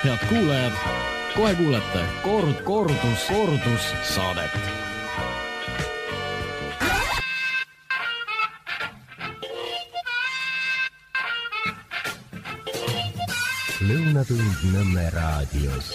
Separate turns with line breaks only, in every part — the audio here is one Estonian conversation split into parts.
Head kuulajad, kohe kuulete kordus saadet.
Lõunatund Nõmme raadios.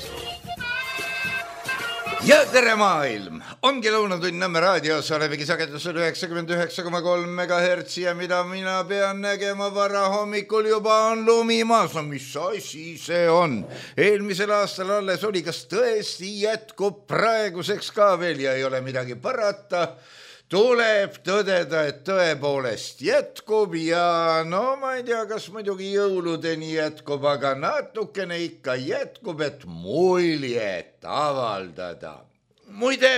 Ja tere maailm! Ongi Lõunatund Nõmme raadios, olevegi sagedusel 99,3 MHz ja mida mina pean nägema varahommikul juba on lumimaas. No mis asi see on? Eelmisel aastal alles oli, kas tõesti jätkub praeguseks ka veel ja ei ole midagi parata. Tuleb tõdeda, et tõepoolest jätkub ja no ma ei tea, kas muidugi jõuludeni jätkub, aga natukene ikka jätkub, et muljet avaldada. Muide,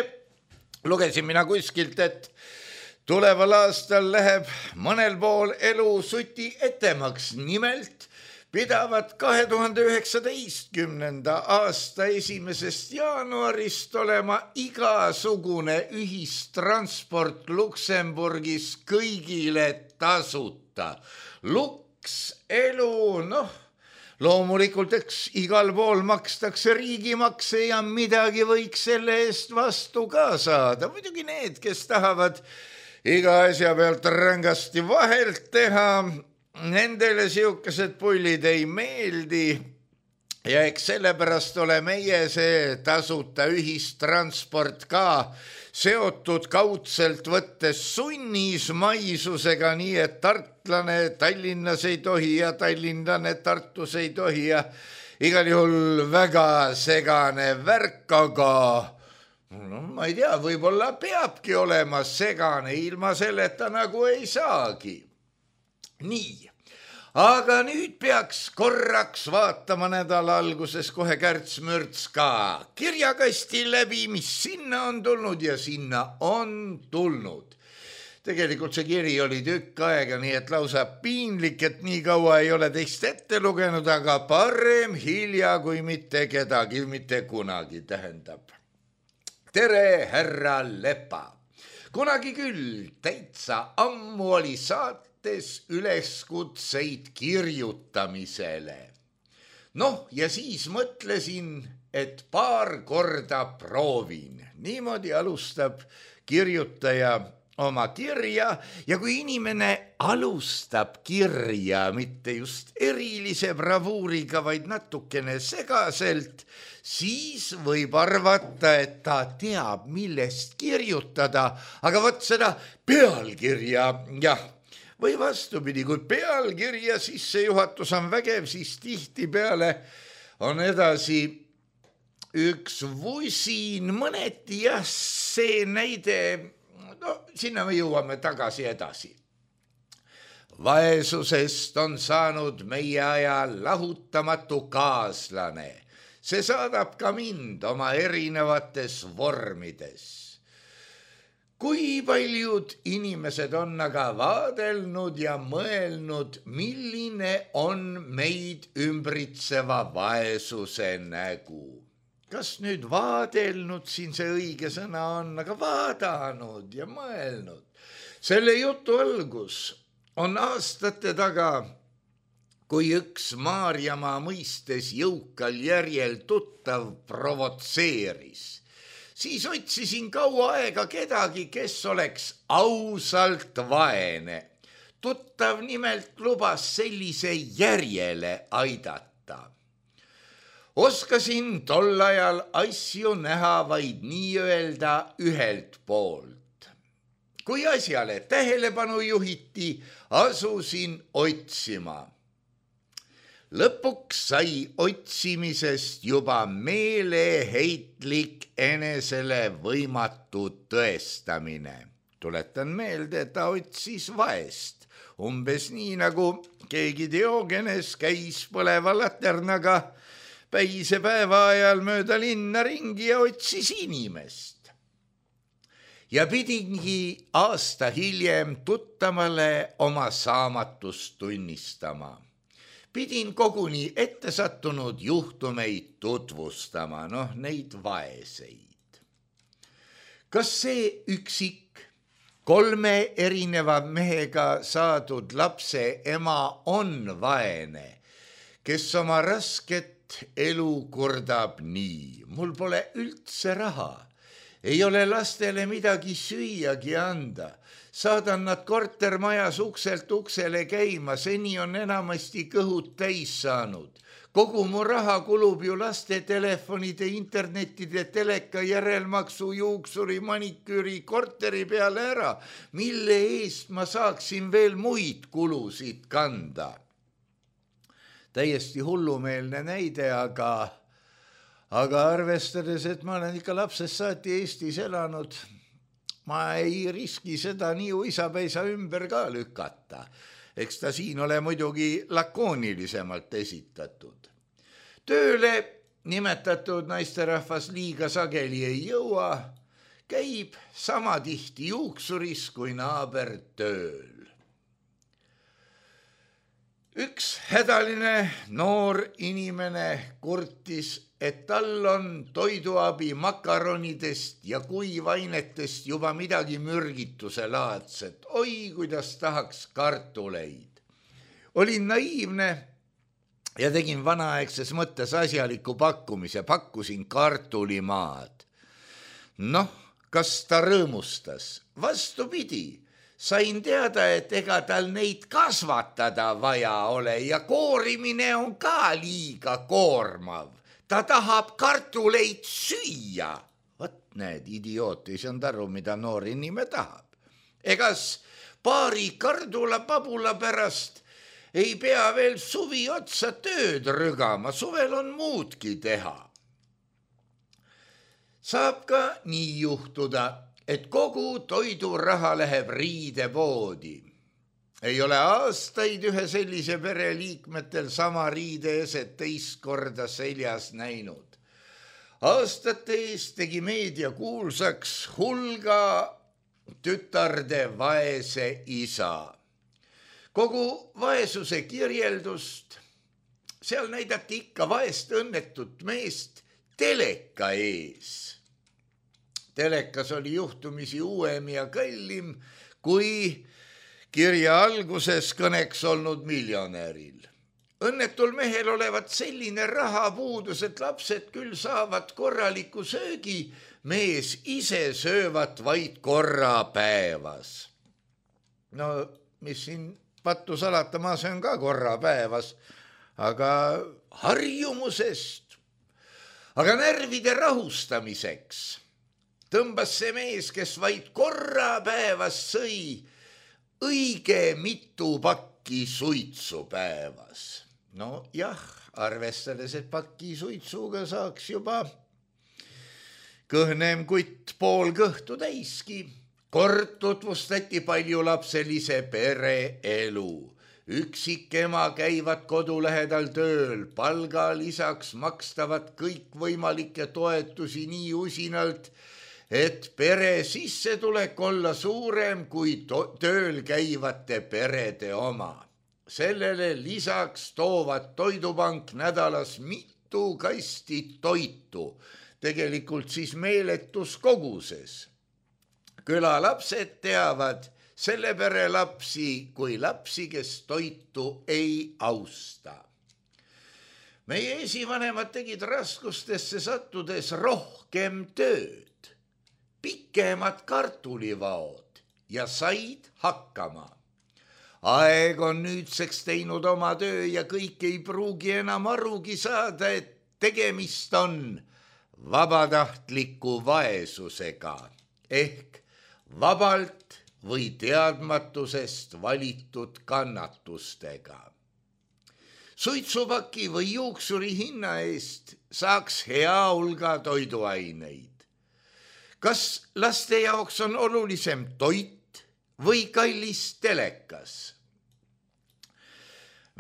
lugesin mina kuskilt, et tuleval aastal läheb mõnel pool elu suti etemaks, nimelt pidavad 2019. aasta 1. jaanuarist olema igasugune ühistransport Luksemburgis kõigile tasuta. Luks elu, loomulikult eks igal pool makstakse riigimakse ja midagi võiks selle eest vastu ka saada. Muidugi need, kes tahavad iga asja pealt rängasti vahelt teha, nendele siukesed pullid ei meeldi ja eks sellepärast ole meie see tasuta ühistransport ka seotud kaudselt võttes sunnismaisusega, nii et tartlane Tallinnas ei tohi ja tallinlane Tartus ei tohi ja igal juhul väga segane värk, aga ma ei tea, võib-olla peabki olema segane, ilma selleta nagu ei saagi. Nii, aga nüüd peaks korraks vaatama nädala alguses kohe Kärts-Mürts ka kirjakasti läbi, mis sinna on tulnud ja sinna on tulnud. Tegelikult see kiri oli tükk aega, nii et lausa piinlik, et nii kaua ei ole teist ette lugenud, aga parem hilja kui mitte kedagi, mitte kunagi tähendab. Tere, härra Lepa! Kunagi küll täitsa ammu oli üleskutseid kirjutamisele. Ja siis mõtlesin, et paar korda proovin. Niimoodi alustab kirjutaja oma kirja ja kui inimene alustab kirja mitte just erilise bravuuriga, vaid natukene segaselt, siis võib arvata, et ta teab, millest kirjutada, aga vot seda pealkirja, jah, või vastupidi, kui pealkirja sissejuhatus on vägev, siis tihtipeale on edasi üks vusin, mõneti jah, see näide, sinna me jõuame tagasi edasi. Vaesusest on saanud meie aja lahutamatu kaaslane. See saadab ka mind oma erinevates vormides. Kui paljud inimesed on aga vaadelnud ja mõelnud, milline on meid ümbritseva vaesuse nägu. Kas nüüd vaadelnud siin see õige sõna on, aga vaadanud ja mõelnud. Selle jutu algus on aastate taga, kui üks Maarjamaa mõistes jõukal järjel tuttav provotseeris. Siis otsisin kaua aega kedagi, kes oleks ausalt vaene. Tuttav nimelt lubas sellise järjele aidata. Oskasin tol ajal asju näha vaid nii-öelda ühelt poolt. Kui asjale tähelepanu juhiti, asusin otsima. Lõpuks sai otsimisest juba meeleheitlik enesele võimatu tõestamine. Tuletan meelde, et ta otsis vaest. Umbes nii nagu keegi Diogenes käis põleva laternaga päise päeva ajal mööda linna ringi ja otsis inimest. Ja pidingi aasta hiljem tuttamale oma saamatust tunnistama. Pidin koguni ette sattunud juhtumeid tutvustama, neid vaeseid. Kas see üksik 3 erineva mehega saadud lapse ema on vaene, kes oma rasket elu kurdab nii, mul pole üldse raha, ei ole lastele midagi süüagi anda, saadan nad kortermajas ukselt uksele käima, seni on enamasti kõhud täis saanud. Kogu mu raha kulub ju laste telefonide, internetide, teleka, järelmaksu, juuksuri, maniküüri, korteri peale ära, mille eest ma saaksin veel muid kulusid kanda. Täiesti hullumeelne näide, aga arvestades, et ma olen ikka lapsest saati Eestis elanud, ma ei riski seda nii uisapäisa ümber ka lükata. Eks ta siin ole muidugi lakoonilisemalt esitatud. Tööle nimetatud naisterahvas liiga sageli ei jõua, käib sama tihti juuksuris kui naaber tööl. Üks hädaline noor inimene kurtis, et tal on toiduabi makaronidest ja kuivainetest juba midagi mürgituse laadset. Oi, kuidas tahaks kartuleid. Olin naiivne ja tegin vanaaegses mõttes asjaliku pakkumise, pakkusin kartulimaad. Noh, kas ta rõõmustas? Vastupidi, sain teada, et ega tal neid kasvatada vaja ole ja koorimine on ka liiga koormav. Ta tahab kartuleid süüa. Vat näed, idioot, ei saanud aru, mida noor inimene tahab. Egas paari kardula-pabula pärast ei pea veel suvi otsa tööd rügama, suvel on muudki teha. Saab ka nii juhtuda, et kogu toiduraha läheb riidepoodi. Ei ole aastaid ühe sellise pereliikmetel sama riideeset teist korda seljas näinud. Aastate eest tegi meedia kuulsaks hulga tütarde vaese isa. Kogu vaesuse kirjeldust, seal näidati ikka vaest õnnetut meest teleka ees. Telekas oli juhtumisi uuem ja kallim kui kirja alguses kõneks olnud miljonäril. Õnnetul mehel olevat selline rahapuudus, et lapsed küll saavad korraliku söögi, mees ise söövat vaid korra päevas. No, mis siin pattu salata, ma söön ka korra päevas, aga harjumusest, aga närvide rahustamiseks tõmbas see mees, kes vaid korra päevas sõi, õige mitu pakki suitsu päevas. No jah, arvestades, et pakki suitsuga saaks juba kõhnem kutt pool kõhtu täiski. Kord tutvustati paljulapselise pere elu. Üksikema käivad kodu lähedal tööl, palga lisaks makstavad kõikvõimalikke toetusi nii usinalt, et pere sissetulek olla suurem kui tööl käivate perede oma. Sellele lisaks toovad Toidupank nädalas mitu kasti toitu, tegelikult siis meeletus koguses. Külalapsed teavad selle pere lapsi kui lapsi, kes toitu ei austa. Meie esivanemad tegid raskustesse sattudes rohkem tööd, pikemad kartulivaod ja said hakkama. Aeg on nüüdseks teinud oma töö ja kõik ei pruugi enam arugi saada, et tegemist on vabatahtliku vaesusega ehk vabalt või teadmatusest valitud kannatustega. Suitsupaki või juuksuri hinna eest saaks hea hulga toiduaineid. Kas laste jaoks on olulisem toit või kallis telekas?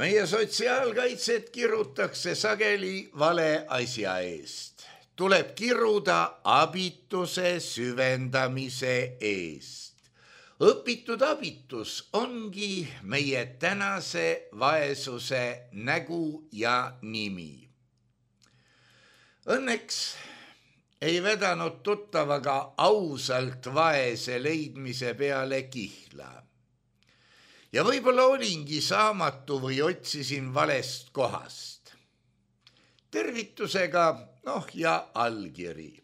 Meie sotsiaalkaitset kirutakse sageli vale asja eest. Tuleb kiruda abituse süvendamise eest. Õpitud abitus ongi meie tänase vaesuse nägu ja nimi. Õnneks ei vedanud tuttavaga ausalt vaese leidmise peale kihla. Ja võib-olla olingi saamatu või otsisin valest kohast. tervitusega, ja allkiri.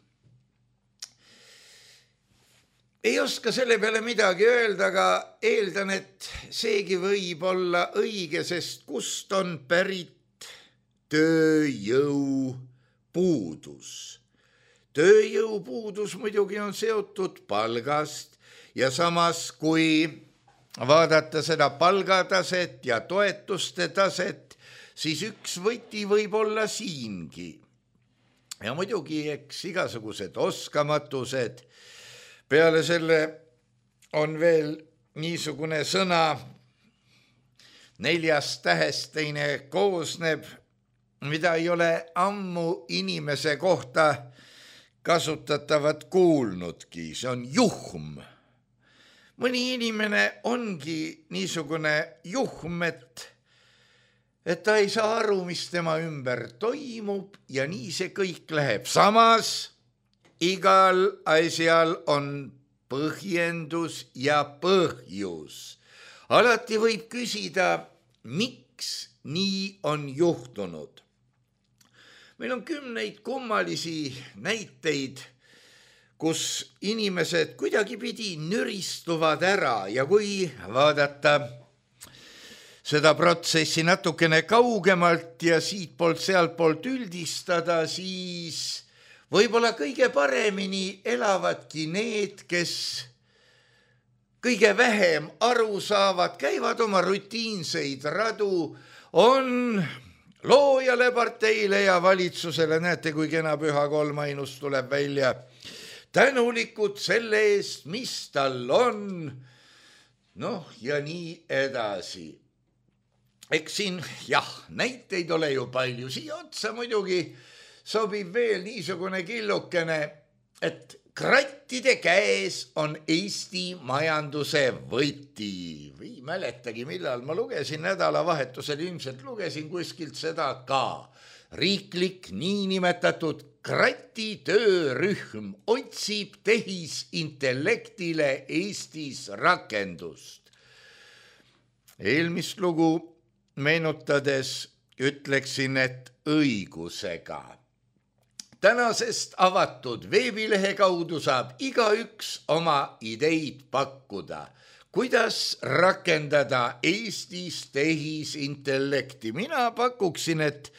Ei oska selle peale midagi öelda, aga eeldan, et seegi võib olla õige, sest kust on pärit tööjõupuudus. Tööjõupuudus muidugi on seotud palgast ja samas, kui vaadata seda palgataset ja toetuste taset, siis üks võti võib olla siingi. Ja muidugi eks igasugused oskamatused. Peale selle on veel niisugune sõna, 4 tähest teine koosneb, mida ei ole ammu inimese kohta kasutatavat kuulnudki, see on juhm. Mõni inimene ongi niisugune juhm, et ta ei saa aru, mis tema ümber toimub ja nii see kõik läheb. Samas igal asjal on põhjendus ja põhjus. Alati võib küsida, miks nii on juhtunud. Meil on 10 kummalisi näiteid, kus inimesed kuidagipidi nüristuvad ära ja kui vaadata seda protsessi natukene kaugemalt ja siitpoolt sealtpoolt üldistada, siis võib-olla kõige paremini elavadki need, kes kõige vähem aru saavad, käivad oma rutiinseid radu, on loojale, parteile ja valitsusele, näete, kui kena püha kolmainus tuleb välja, tänulikud selle eest, mis tal on, ja nii edasi. Eks siin, näiteid ole ju palju, siia otsa muidugi sobib veel niisugune killukene, et krattide käes on Eesti majanduse võti. Või mäletagi, millal ma lugesin nädalavahetusel, ilmselt lugesin kuskilt seda ka. Riiklik niinimetatud kratitöörühm otsib tehisintellektile Eestis rakendust. Eelmist lugu meenutades ütleksin, et õigusega. Tänasest avatud veebilehe kaudu saab igaüks oma ideid pakkuda, kuidas rakendada Eestis tehisintellekti. Mina pakuksin, et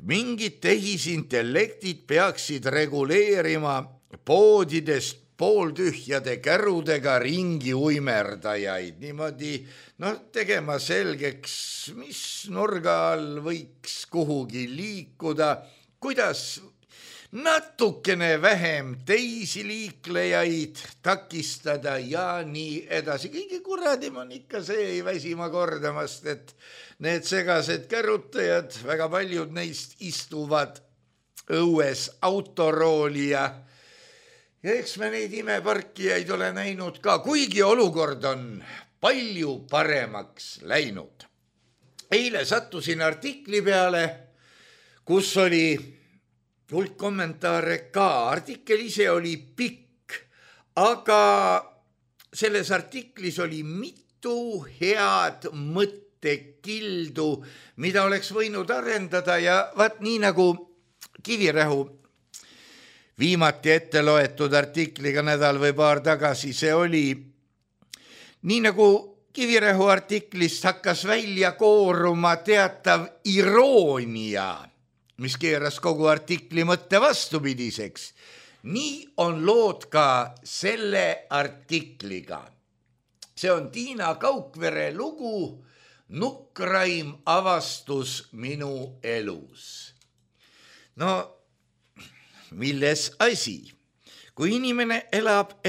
mingid tehisintellektid peaksid reguleerima poodidest pooltühjade kärudega ringi uimerdajaid. Niimoodi tegema selgeks, mis nurga all võiks kuhugi liikuda, kuidas natukene vähem teisi liiklejaid takistada ja nii edasi. Kõige kuradim on ikka see, ei väsima kordamast, et need segased kärutajad, väga paljud neist istuvad õues autorooli ja eks me neid imeparkijaid ole näinud ka, kuigi olukord on palju paremaks läinud. Eile sattusin artikli peale, kus oli hulk kommentaare ka. Artikkel ise oli pikk, aga selles artiklis oli mitu head mõttekildu, mida oleks võinud arendada ja vaat nii nagu Kivirähu viimati ette loetud artikliga nädal või paar tagasi, see oli nii nagu Kivirähu artiklist hakkas välja kooruma teatav iroonia, mis keeras kogu artikli mõtte vastupidiseks. Nii on lood ka selle artikliga. See on Tiina Kaukvere lugu Nukraim avastus minu elus. Milles asi? Kui inimene elab,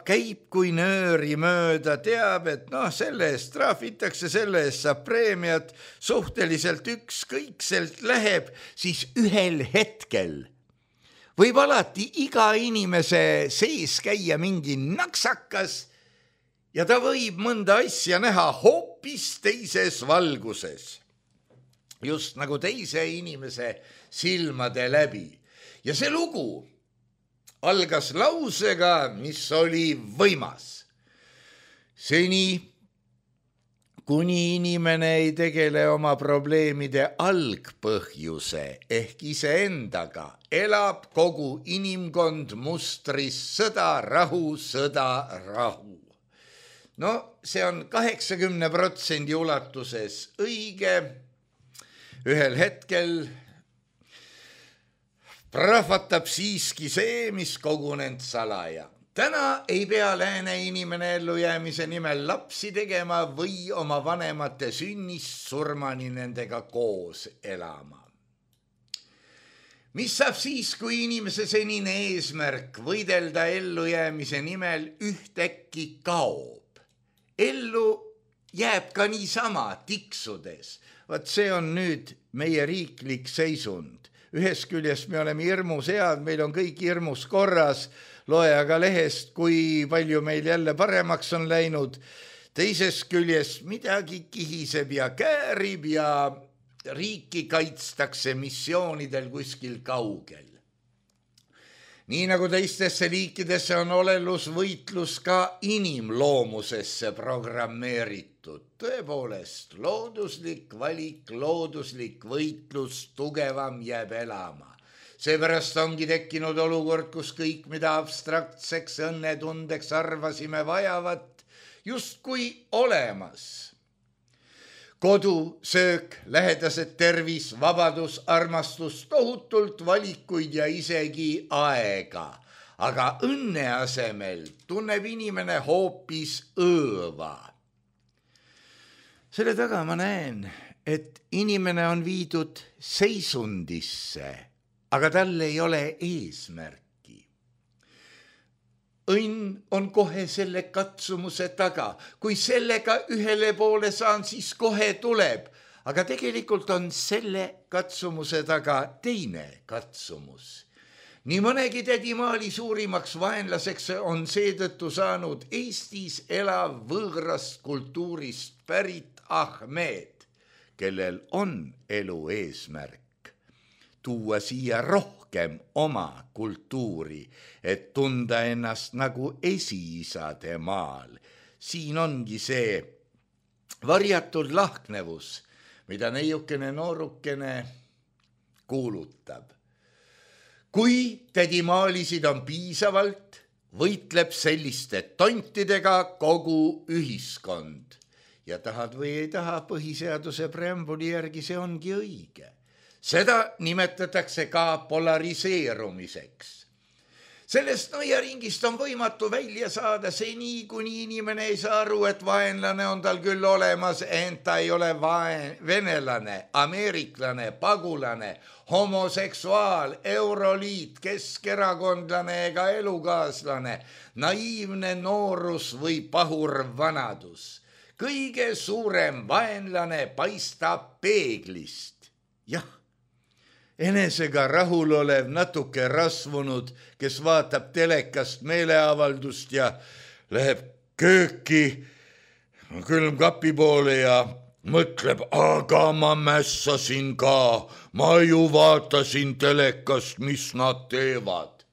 käib kui nööri mööda, teab, et selle eest trahvitakse, selle eest saab preemiat, suhteliselt ükskõikselt läheb, siis ühel hetkel võib alati iga inimese sees käia mingi naksakas ja ta võib mõnda asja näha hoopis teises valguses, just nagu teise inimese silmade läbi. Ja see lugu algas lausega, mis oli võimas. Seni, kuni inimene ei tegele oma probleemide algpõhjuse ehk iseendaga, elab kogu inimkond mustris sõda, rahu, sõda, rahu. No see on 80% ulatuses õige. Ühel hetkel prahvatab siiski see, mis kogunenud salaja. Täna ei pea lääne inimene ellujäämise nimel lapsi tegema või oma vanemate sünnist surmani nendega koos elama. Mis saab siis, kui inimese senine eesmärk võidelda ellujäämise nimel ühtäkki kaob? Ellu jääb ka niisama tiksudes. Vaat see on nüüd meie riiklik seisund. Ühest küljest me oleme hirmus head, meil on kõik hirmus korras, loe aga lehest, kui palju meil jälle paremaks on läinud. Teisest küljest midagi kihiseb ja käärib ja riiki kaitstakse missioonidel kuskil kaugel. Nii nagu teistesse liikidesse on olelusvõitlus ka inimloomusesse programmeeritud. Tõepoolest, looduslik valik, looduslik võitlus, tugevam jääb elama. Seepärast ongi tekkinud olukord, kus kõik, mida abstraktseks õnnetundeks arvasime vajavat, justkui olemas. Kodu, söök, lähedased tervis, vabadus, armastus, tohutult valikuid ja isegi aega. Aga õnne asemel tunneb inimene hoopis õõva. Selle taga ma näen, et inimene on viidud seisundisse, aga tal ei ole eesmärki. Õnn on kohe selle katsumuse taga. Kui sellega ühele poole saan, siis kohe tuleb. Aga tegelikult on selle katsumuse taga teine katsumus. Nii mõnegi tädimaali suurimaks vaenlaseks on seetõttu saanud Eestis elav võõrast kultuurist pärit Ahmed, kellel on elu eesmärk tuua siia rohkem oma kultuuri, et tunda ennast nagu esiisade maal. Siin ongi see varjatud lahknevus, mida neiukene noorukene kuulutab. Kui tädimaalisid on piisavalt, võitleb selliste tontidega kogu ühiskond. Ja tahad või ei taha, põhiseaduse preambuli järgi see ongi õige. Seda nimetatakse ka polariseerumiseks. Sellest nõiaringist on võimatu välja saada seni, kuni inimene ei saa aru, et vaenlane on tal küll olemas, ent ta ei ole venelane, ameeriklane, pagulane, homoseksuaal, euroliit, keskerakondlane ega elukaaslane, naiivne noorus või pahur vanadus. Kõige suurem vaenlane paistab peeglist. Jah. Enesega rahul olev, natuke rasvunud, kes vaatab telekast meeleavaldust ja läheb kööki külmkapi poole ja mõtleb, aga ma mässasin ka, ma ju vaatasin telekast, mis nad teevad.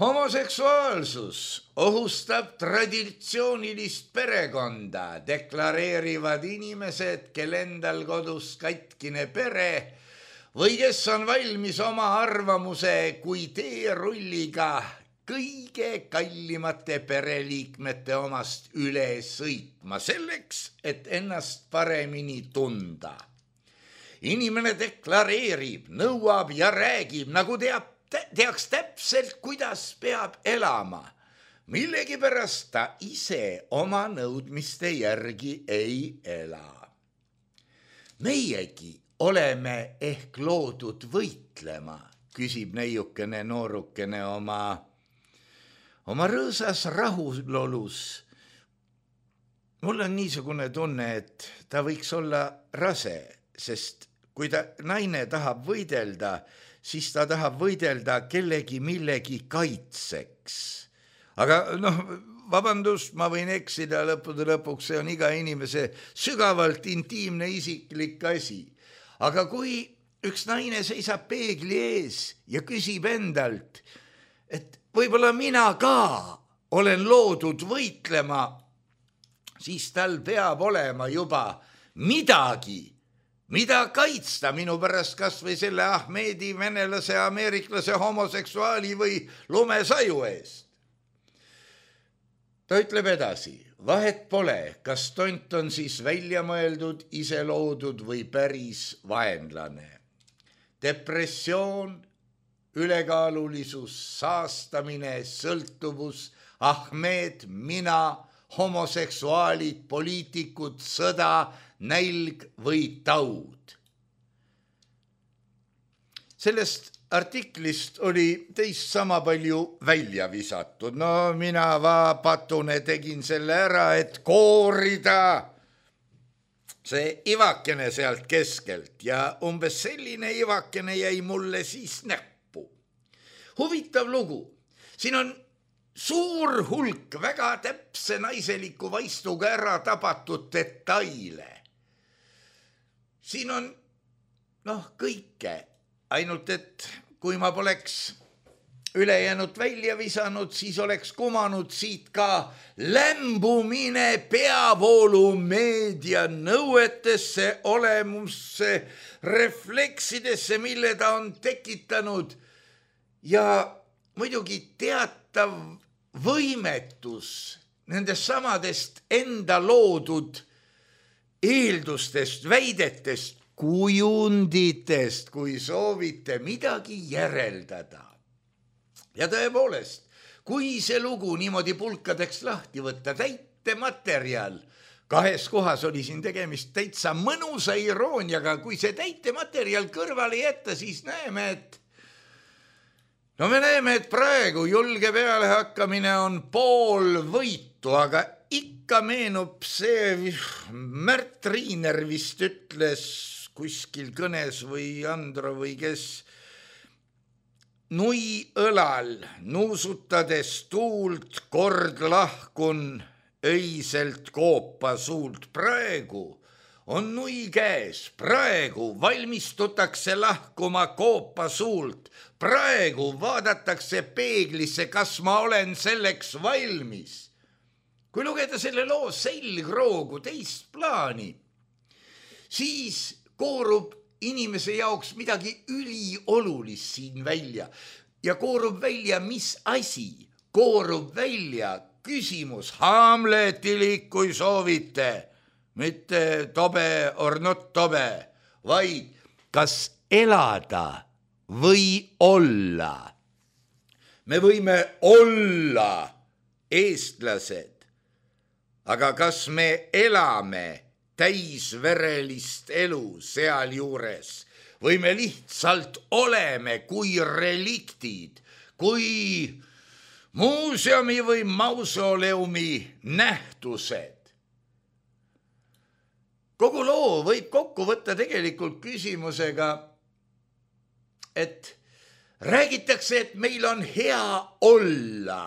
Homoseksuaalsus ohustab traditsioonilist perekonda, deklareerivad inimesed, kel endal kodus katkine pere, või kes on valmis oma arvamuse kui teerulliga kõige kallimate pereliikmete omast üle sõitma selleks, et ennast paremini tunda. Inimene deklareerib, nõuab ja räägib, nagu teaks täpselt, kuidas peab elama. Millegipärast ta ise oma nõudmiste järgi ei ela. Meiegi oleme ehk loodud võitlema, küsib neiukene noorukene oma rõõsas rahulolus. Mul on niisugune tunne, et ta võiks olla rase, sest kui naine tahab võidelda, siis ta tahab võidelda kellegi millegi kaitseks. Aga vabandust, ma võin eksida lõppude lõpuks, see on iga inimese sügavalt intiimne isiklik asi. Aga kui üks naine seisab peegli ees ja küsib endalt, et võib-olla mina ka olen loodud võitlema, siis tal peab olema juba midagi, mida kaitsta minu pärast kas või selle Ahmedi, venelase, ameeriklase, homoseksuaali või lumesaju eest. Ta ütleb edasi, vahet pole, kas tont on siis välja mõeldud, ise loodud või päris vaenlane. Depressioon, ülekaalulisus, saastamine, sõltuvus, Ahmed, mina, homoseksuaalid, poliitikud, sõda, nälg või taud. Sellest artiklist oli teist sama palju välja visatud. No mina patune tegin selle ära, et koorida see ivakene sealt keskelt ja umbes selline ivakene jäi mulle siis näppu. Huvitav lugu. Siin on suur hulk väga täpse naiseliku vaistuga ära tabatud detaile. Siin on kõike, ainult et kui ma poleks ülejäänud välja visanud, siis oleks kumanud siit ka lämbumine peavoolumeedia nõuetesse, olemusse, refleksidesse, mille ta on tekitanud ja muidugi teatav võimetus nendest samadest enda loodud eeldustest, väidetest, kujunditest, kui soovite midagi järeldada. Ja tõepoolest, kui see lugu niimoodi pulkadeks lahti võtta, täitematerjal, 2 kohas oli siin tegemist täitsa mõnusa irooniaga, kui see täitematerjal kõrvale jätta, siis näeme, et praegu julge peale hakkamine on pool võitu, aga ikka meenub see, Märt Riiner vist ütles kuskil kõnes või Andro või kes, nui õlal nuusutades tuult kord lahkun öiselt koopa suult. Praegu on nui käes, praegu valmistutakse lahkuma koopa suult, praegu vaadatakse peeglisse, kas ma olen selleks valmis. Kui lugeda selle loo selgroogu teist plaani, siis koorub inimese jaoks midagi üliolulist siin välja ja koorub välja, mis asi, koorub välja küsimus, Hamletilik, kui soovite, mitte tobe or not tobe, vaid kas elada või olla. Me võime olla eestlased, aga kas me elame täisverelist elu sealjuures või me lihtsalt oleme kui reliktid, kui muuseumi või mausoleumi nähtused. Kogu loo võib kokku võtta tegelikult küsimusega, et räägitakse, et meil on hea olla,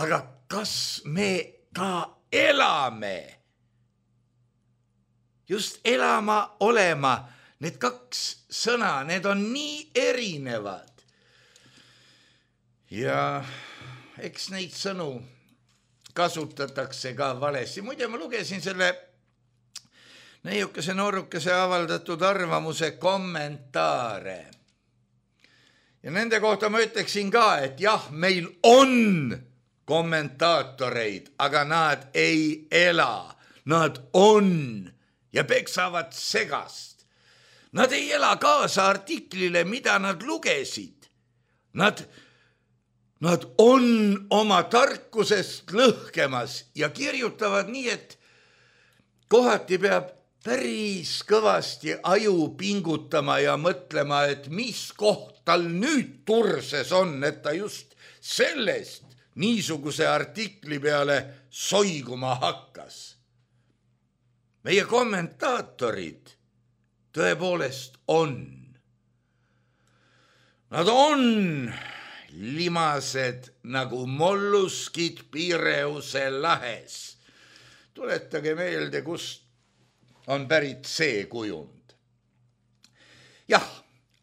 aga kas me ka elame? Just elama, olema, need 2 sõna, need on nii erinevad. Ja eks neid sõnu kasutatakse ka valesti. Muide, ma lugesin selle neiukese noorukese avaldatud arvamuse kommentaare. Ja nende kohta ma ütleksin ka, et jah, meil on kommentaatoreid, aga nad ei ela. Nad on ja peksavad segast. Nad ei ela kaasa artiklile, mida nad lugesid. Nad on oma tarkusest lõhkemas ja kirjutavad nii, et kohati peab päris kõvasti aju pingutama ja mõtlema, et mis koht tal nüüd turses on, et ta just sellest niisuguse artikli peale soiguma hakkas. Meie kommentaatorid tõepoolest on. Nad on limased nagu molluskid Pireuse lahes. Tuletage meelde, kust on pärit see kujund. Jah,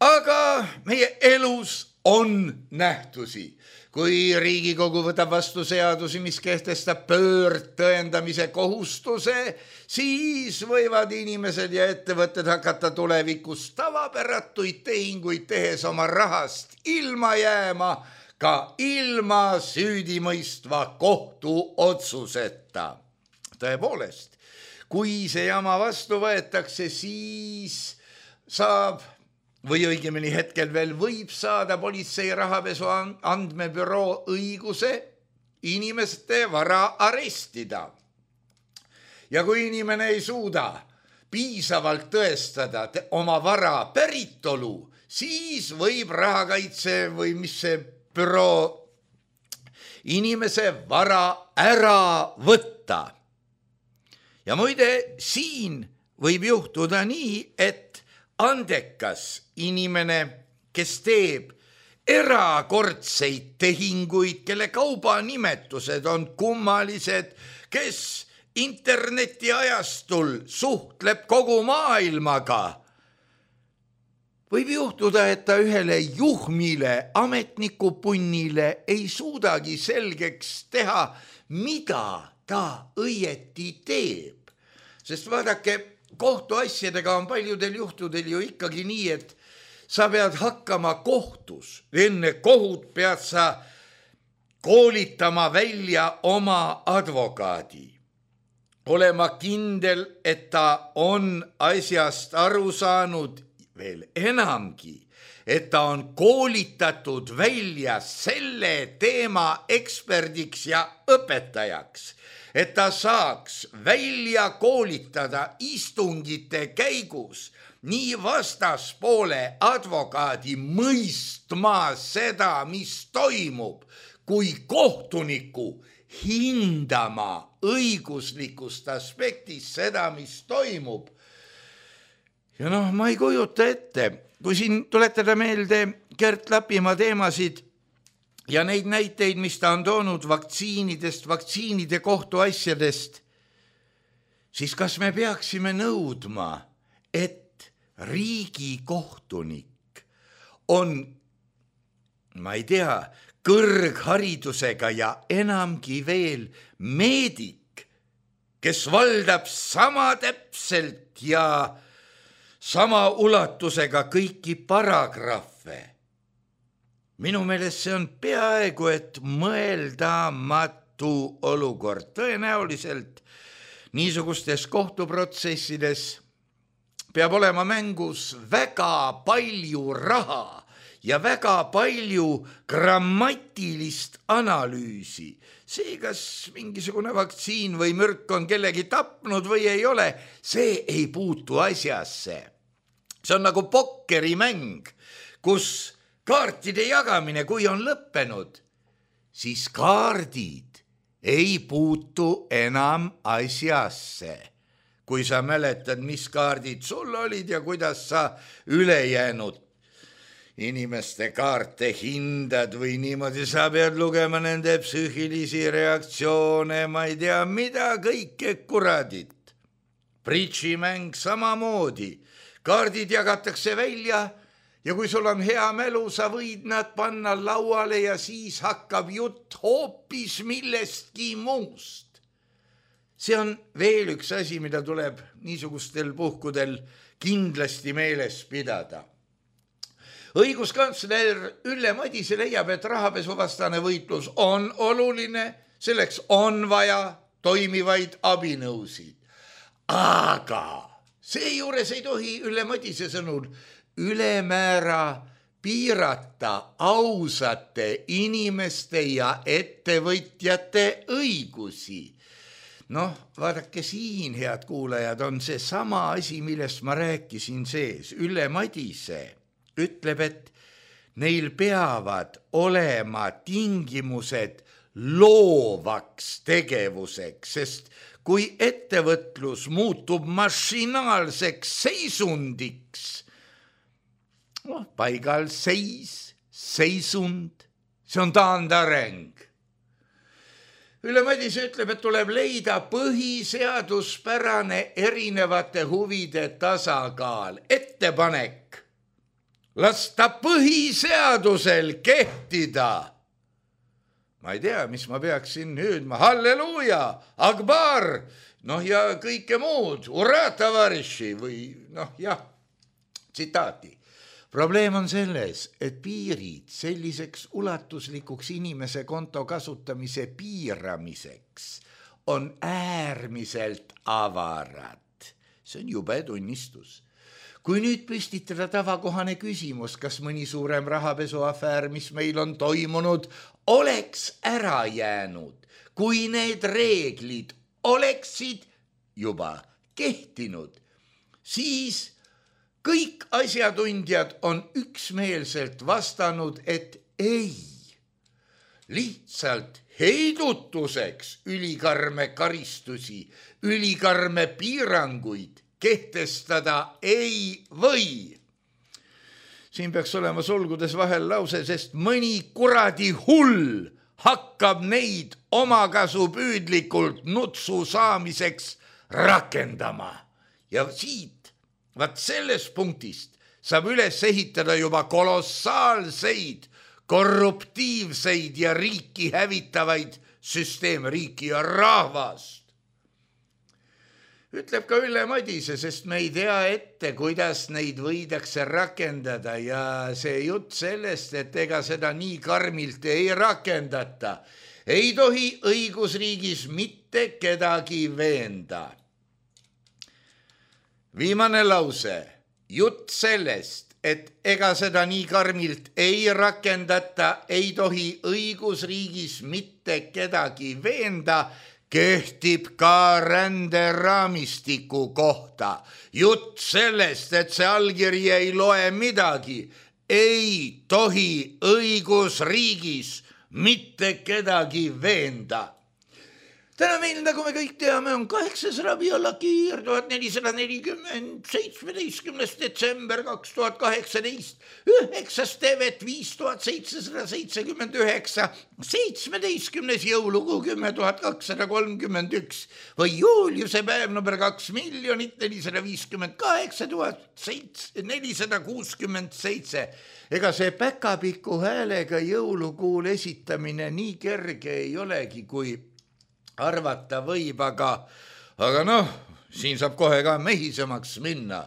aga meie elus on nähtusi. kui Riigikogu võtab vastu seadusi, mis kehtestab pöördtõendamise kohustuse, siis võivad inimesed ja ettevõtted hakata tulevikus tavapäratuid tehinguid tehes oma rahast ilma jääma, ka ilma süüdimõistva kohtuotsuseta. Tõepoolest, kui see jama vastu võetakse, siis saab või õigemini hetkel veel võib saada politsei rahapesu andmebüroo õiguse inimeste vara arestida. Ja kui inimene ei suuda piisavalt tõestada oma vara päritolu, siis võib rahakaitse või mis see büroo inimese vara ära võtta. Ja muide, siin võib juhtuda nii, et andekas inimene, kes teeb erakordseid tehinguid, kelle kaubanimetused on kummalised, kes internetiajastul suhtleb kogu maailmaga, võib juhtuda, et ta ühele juhmile ametnikupunnile ei suudagi selgeks teha, mida ta õieti teeb. Sest vaadake, kohtuasjadega on paljudel juhtudel ju ikkagi nii, et sa pead hakkama kohtus. Enne kohut pead sa koolitama välja oma advokaadi. Olema kindel, et ta on asjast aru saanud, veel enamgi, et ta on koolitatud välja selle teema eksperdiks ja õpetajaks, et ta saaks välja koolitada istungite käigus nii vastaspoole advokaadi mõistma seda, mis toimub, kui kohtuniku hindama õiguslikust aspektist seda, mis toimub. Ja ma ei kujuta ette, kui siin tuletada meelde Gert Lapimaa teemasid ja neid näiteid, mis ta on toonud vaktsiinidest, vaktsiinide kohtuasjadest, siis kas me peaksime nõudma, et riigikohtunik on, ma ei tea, kõrgharidusega ja enamgi veel meedik, kes valdab sama täpselt ja sama ulatusega kõiki paragrahve. Minu meelest see on peaaegu et mõeldamatu olukord. Tõenäoliselt niisugustes kohtuprotsessides peab olema mängus väga palju raha ja väga palju grammatilist analüüsi. See, kas mingisugune vaktsiin või mürk on kellegi tapnud või ei ole, see ei puutu asjasse. See on nagu pokkerimäng, kus kaartide jagamine, kui on lõppenud, siis kaardid ei puutu enam asjasse. Kui sa mäletad, mis kaardid sul olid ja kuidas sa ülejäänud inimeste kaarte hindad või niimoodi, sa pead lugema nende psüühilisi reaktsioone, ma ei tea, mida kõike kuradit. Bridžimäng samamoodi. Kaardid jagatakse välja ja kui sul on hea mälu, sa võid nad panna lauale ja siis hakkab jutt hoopis millestki muust. See on veel üks asi, mida tuleb niisugustel puhkudel kindlasti meeles pidada. Õiguskantsler Ülle Madise leiab, et rahapesuvastane võitlus on oluline, selleks on vaja toimivaid abinõusid. Aga seejuures ei tohi Ülle Madise sõnul ülemäära piirata ausate inimeste ja ettevõtjate õigusi. Vaadake siin, head kuulajad, on see sama asi, millest ma rääkisin sees. Ülle Madise ütleb, et neil peavad olema tingimused loovaks tegevuseks, sest kui ettevõtlus muutub mašinaalseks seisundiks, paigal seisund, see on taandareng. Ülle Madise ütleb, et tuleb leida põhiseaduspärane erinevate huvide tasakaal, ettepanek lasta põhiseadusel kehtida ma ei tea, mis ma peaksin hüüdma, halleluuja, akbar, noh ja kõike muud, ura tavariši või noh jah, tsitaati. Probleem on selles, et piirid selliseks ulatuslikuks inimese konto kasutamise piiramiseks on äärmiselt avarad. See on jube tunnistus. Kui nüüd püstitada tavakohane küsimus, kas mõni suurem rahapesuafäär, mis meil on toimunud, oleks ära jäänud, kui need reeglid oleksid juba kehtinud, siis kõik asjatundjad on üksmeelselt vastanud, et ei. Lihtsalt heidutuseks ülikarme karistusi, ülikarme piiranguid kehtestada ei või. Siin peaks olema sulgudes vahel lause, sest mõni kuradi hull hakkab neid omakasupüüdlikult nutsu saamiseks rakendama. Ja siit, vaat sellest punktist saab üles ehitada juba kolossaalseid, korruptiivseid ja riiki hävitavaid süsteeme, riiki ja rahvast. Ütleb ka Ülle Madise, sest me ei tea ette, kuidas neid võidakse rakendada ja see jutt sellest, et ega seda nii karmilt ei rakendata, ei tohi õigusriigis mitte kedagi veenda. Viimane lause, jutt sellest, et ega seda nii karmilt ei rakendata, ei tohi õigusriigis mitte kedagi veenda, kehtib ka ränderaamistiku kohta. Jutt sellest, et see allkiri ei loe midagi, ei tohi õigusriigis mitte kedagi veenda. Täna meil, nagu me kõik teame, on 8. Rabiul Akhir 1440, 17. detsember 2018, 9. tevet 5779, 17. jõulukuu 10.231 või Juliuse päev number 2,458,467. Ega see päkapiku häälega jõulukuul esitamine nii kerge ei olegi, kui arvata võib, aga noh, siin saab kohe ka mehisemaks minna.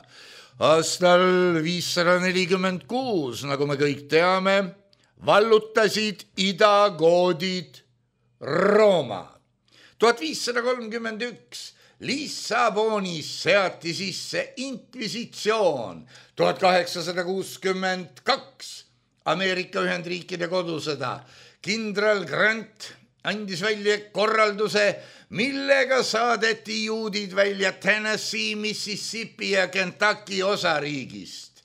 Aastal 546, nagu me kõik teame, vallutasid idagoodid Rooma. 1531 Lissabonis seati sisse inkvisitsioon. 1862 Ameerika Ühendriikide kodusõda. Kindral Grant andis välja korralduse, millega saadeti juudid välja Tennessee, Mississippi ja Kentucky osariigist.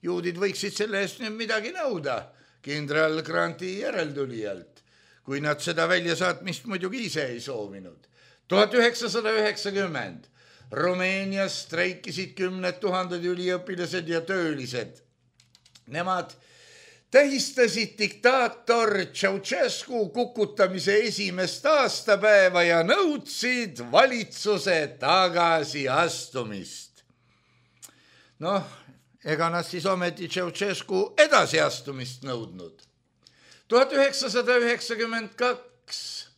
Juudid võiksid selle eest nüüd midagi nõuda kindral Granti järeltulijalt, kui nad seda väljasaatmist muidugi ise ei soovinud. 1990 Rumeenias streikisid 10 000 üliõpilased ja töölised. Nemad tähistasid diktaator Ceausescu kukutamise esimest aastapäeva ja nõudsid valitsuse tagasiastumist. Noh, ega nad siis ometi Ceausescu edasiastumist nõudnud. 1992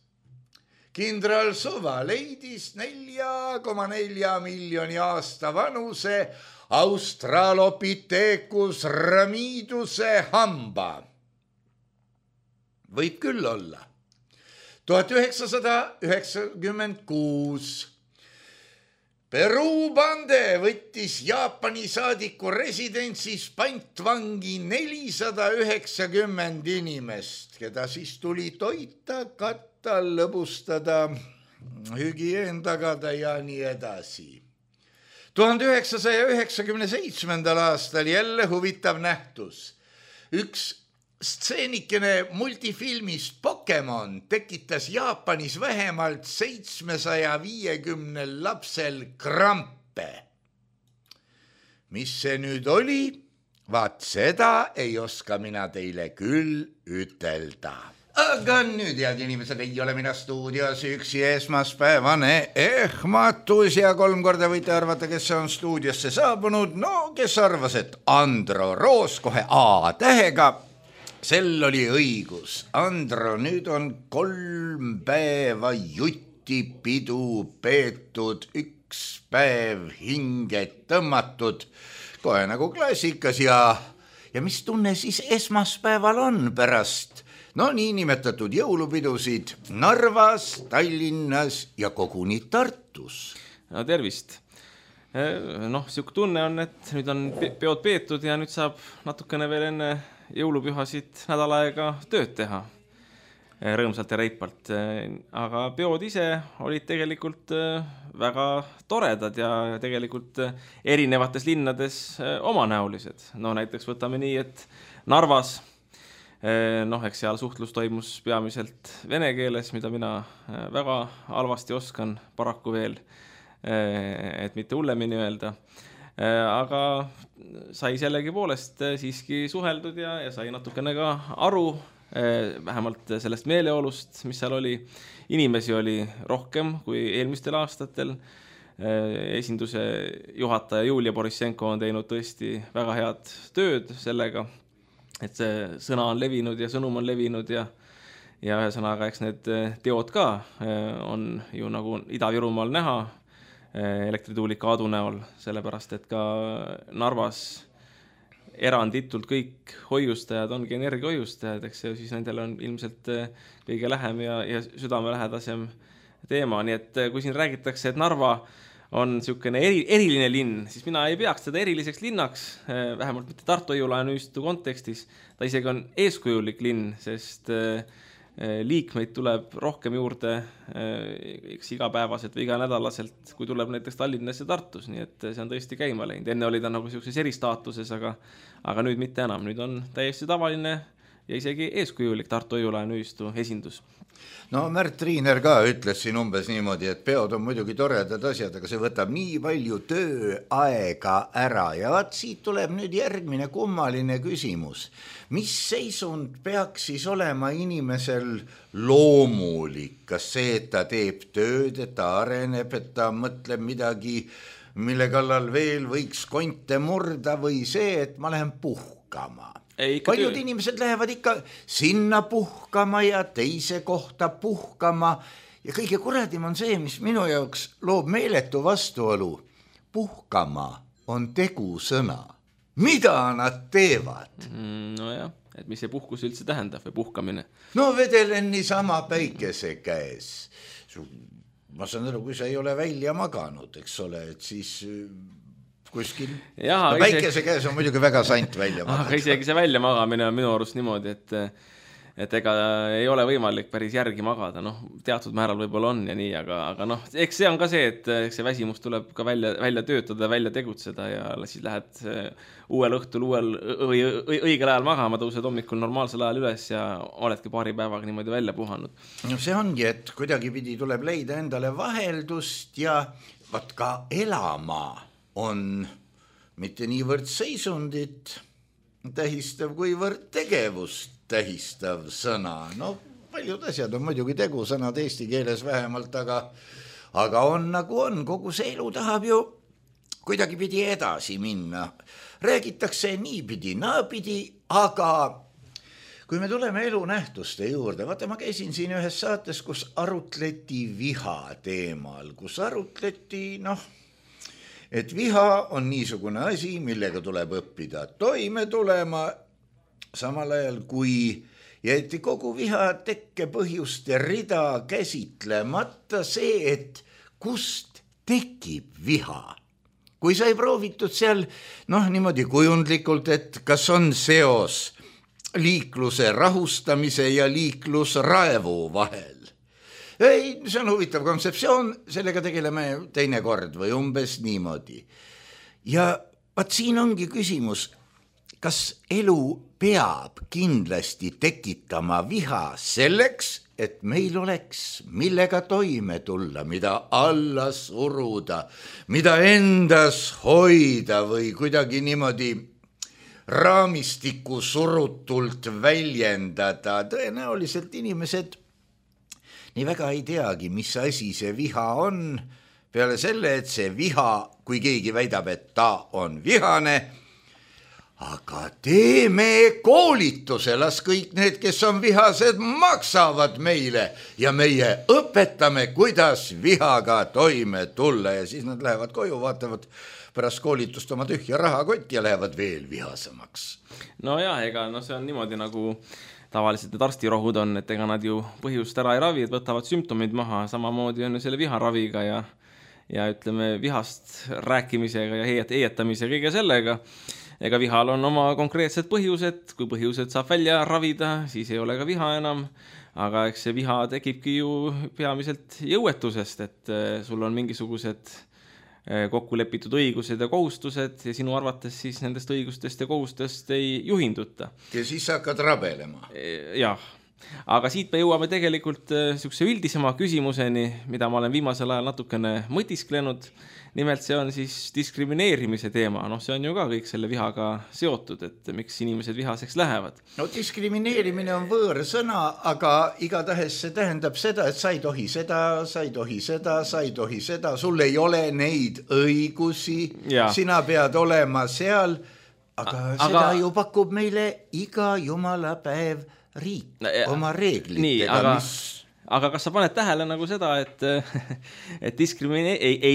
kindral Suva leidis 4,4 miljoni aasta vanuse Australopithecus ramiduse hamba. Võib küll olla. 1996 Peruu bande võttis Jaapani saadiku residentsis pantvangi 490 inimest, keda siis tuli toita, katta, lõbustada, hügieen tagada ja nii edasi. 1997. aastal jälle huvitav nähtus. Üks stseenikene multifilmist Pokemon tekitas Jaapanis vähemalt 750 lapsel krampe. Mis see nüüd oli? Vaat seda ei oska mina teile küll ütelda. Aga nüüd, head inimesed, ei ole mina stuudios üksi esmaspäevane ehmatus ja 3 korda võite arvata, kes on stuudiosse saabunud. No, kes arvas, et Andro Roos kohe A-tähega. sel oli õigus. Andro, nüüd on 3 päeva jutipidu peetud, 1 päev hinge tõmmatud, kohe nagu klassikas ja mis tunne siis esmaspäeval on pärast niinimetatud jõulupidusid Narvas, Tallinnas ja koguni Tartus?
No tervist. Siuke tunne on, et nüüd on peod peetud ja nüüd saab natukene veel enne jõulupühasid nädal aega tööd teha rõõmsalt ja reipalt. Aga peod ise olid tegelikult väga toredad ja tegelikult erinevates linnades omanäolised. Näiteks võtame nii, et Narvas, eks seal suhtlus toimus peamiselt vene keeles, mida mina väga halvasti oskan paraku veel, et mitte hullemini öelda. Aga sai sellegi poolest siiski suheldud ja sai natukene ka aru, vähemalt sellest meeleolust, mis seal oli. Inimesi oli rohkem kui eelmistel aastatel. Esinduse juhataja Julia Borissenko on teinud tõesti väga head tööd sellega, et see sõna on levinud ja sõnum on levinud ja ühesõnaga, eks need teod ka on ju nagu Ida-Virumaal näha elektrituulika Aadu näol, sellepärast et ka Narvas eranditult kõik hoiustajad ongi energiahoiustajad, eks siis nendel on ilmselt kõige lähem ja südamelähedasem teema, nii et kui siin räägitakse, et Narva on niisugune eriline linn, siis mina ei peaks teda eriliseks linnaks, vähemalt mitte Tartu Hoiu-laenuühistu kontekstis, ta isegi on eeskujulik linn, sest liikmeid tuleb rohkem juurde igapäevaselt või iganädalaselt, kui tuleb näiteks Tallinnas ja Tartus, nii et see on tõesti käima läinud. Enne oli ta nagu sellises eristaatuses, aga nüüd mitte enam. Nüüd on täiesti tavaline ja isegi eeskujulik Tartu Hoiu-laenuühistu esindus.
Märt Riiner ka ütles siin umbes niimoodi, et peod on muidugi toredad asjad, aga see võtab nii palju tööaega ära ja vaat siit tuleb nüüd järgmine kummaline küsimus. Mis seisund peaks siis olema inimesel loomulik? Kas see, et ta teeb tööd, et ta areneb, et ta mõtleb midagi, mille kallal veel võiks konte murda või see, et ma lähen puhkama? Paljud inimesed lähevad ikka sinna puhkama ja teise kohta puhkama ja kõige kuradim on see, mis minu jaoks loob meeletu vastuolu. Puhkama on tegusõna. Mida nad teevad?
Nojah, et mis see puhkus üldse tähendab või puhkamine?
Vedelen niisama päikese käes. Ma saan aru, kui sa ei ole välja maganud, eks ole, et siis kuskil. Päikese käes on muidugi väga sant välja magada.
Aga isegi see välja magamine on minu arust niimoodi, et ega ei ole võimalik päris järgi magada. Teatud määral võib-olla on ja nii, aga eks see on ka see, et see väsimus tuleb ka välja töötada, välja tegutseda ja siis lähed uuel õhtul õigel ajal magama, tõused hommikul normaalsel ajal üles ja oledki paari päevaga niimoodi välja puhanud.
See ongi, et kuidagipidi tuleb leida endale vaheldust ja vaat ka elama on mitte niivõrd seisundit tähistav, kuivõrd tegevust tähistav sõna. Paljud asjad on muidugi tegusõnad eesti keeles vähemalt, aga on nagu on. Kogu see elu tahab ju kuidagipidi edasi minna. Räägitakse niipidi, naapidi, aga kui me tuleme elu nähtuste juurde, vaata ma käisin siin ühes saates, kus arutleti viha teemal, kus arutleti, et viha on niisugune asi, millega tuleb õppida toime tulema, samal ajal kui jäeti kogu viha tekkepõhjuste rida käsitlemata see, et kust tekib viha. Kui sai proovitud seal niimoodi kujundlikult, et kas on seos liikluse rahustamise ja liiklusraevu vahel. Ei, see on huvitav kontseptsioon, sellega tegeleme teine kord või umbes niimoodi. Ja vaat siin ongi küsimus, kas elu peab kindlasti tekitama viha selleks, et meil oleks millega toime tulla, mida alla suruda, mida endas hoida või kuidagi niimoodi raamistiku surutult väljendada. Tõenäoliselt inimesed nii väga ei teagi, mis asi see viha on, peale selle, et see viha, kui keegi väidab, et ta on vihane, aga teeme koolituse, las kõik need, kes on vihased, maksavad meile ja meie õpetame, kuidas vihaga toime tulla ja siis nad lähevad koju, vaatavad pärast koolitust oma tühja rahakotti ja lähevad veel vihasemaks.
No jah, ega see on niimoodi nagu tavaliselt need arstirohud on, et ega nad ju põhjust ära ei ravi, et võtavad sümptomid maha, samamoodi on ju selle viharaviga ja ütleme vihast rääkimisega ja heietamise kõige sellega. Ega vihal on oma konkreetsed põhjused, kui põhjused saab välja ravida, siis ei ole ka viha enam, aga eks see viha tekibki ju peamiselt jõuetusest, et sul on mingisugused kokku lepitud õigused ja kohustused ja sinu arvates siis nendest õigustest ja kohustust ei juhinduta.
Ja siis hakkad rabelema.
Jah, aga siit me jõuame tegelikult niisuguse üldisema küsimuseni, mida ma olen viimasel ajal natukene mõtisklenud. Nimelt see on siis diskrimineerimise teema, see on ju ka kõik selle vihaga seotud, et miks inimesed vihaseks lähevad.
No diskrimineerimine on võõrsõna, aga igatahes see tähendab seda, et sa ei tohi seda, sa ei tohi seda, sa ei tohi seda, sul ei ole neid õigusi, sina pead olema seal, aga seda ju pakub meile iga jumala päev riik oma reeglitega,
Aga kas sa paned tähele nagu seda, et ei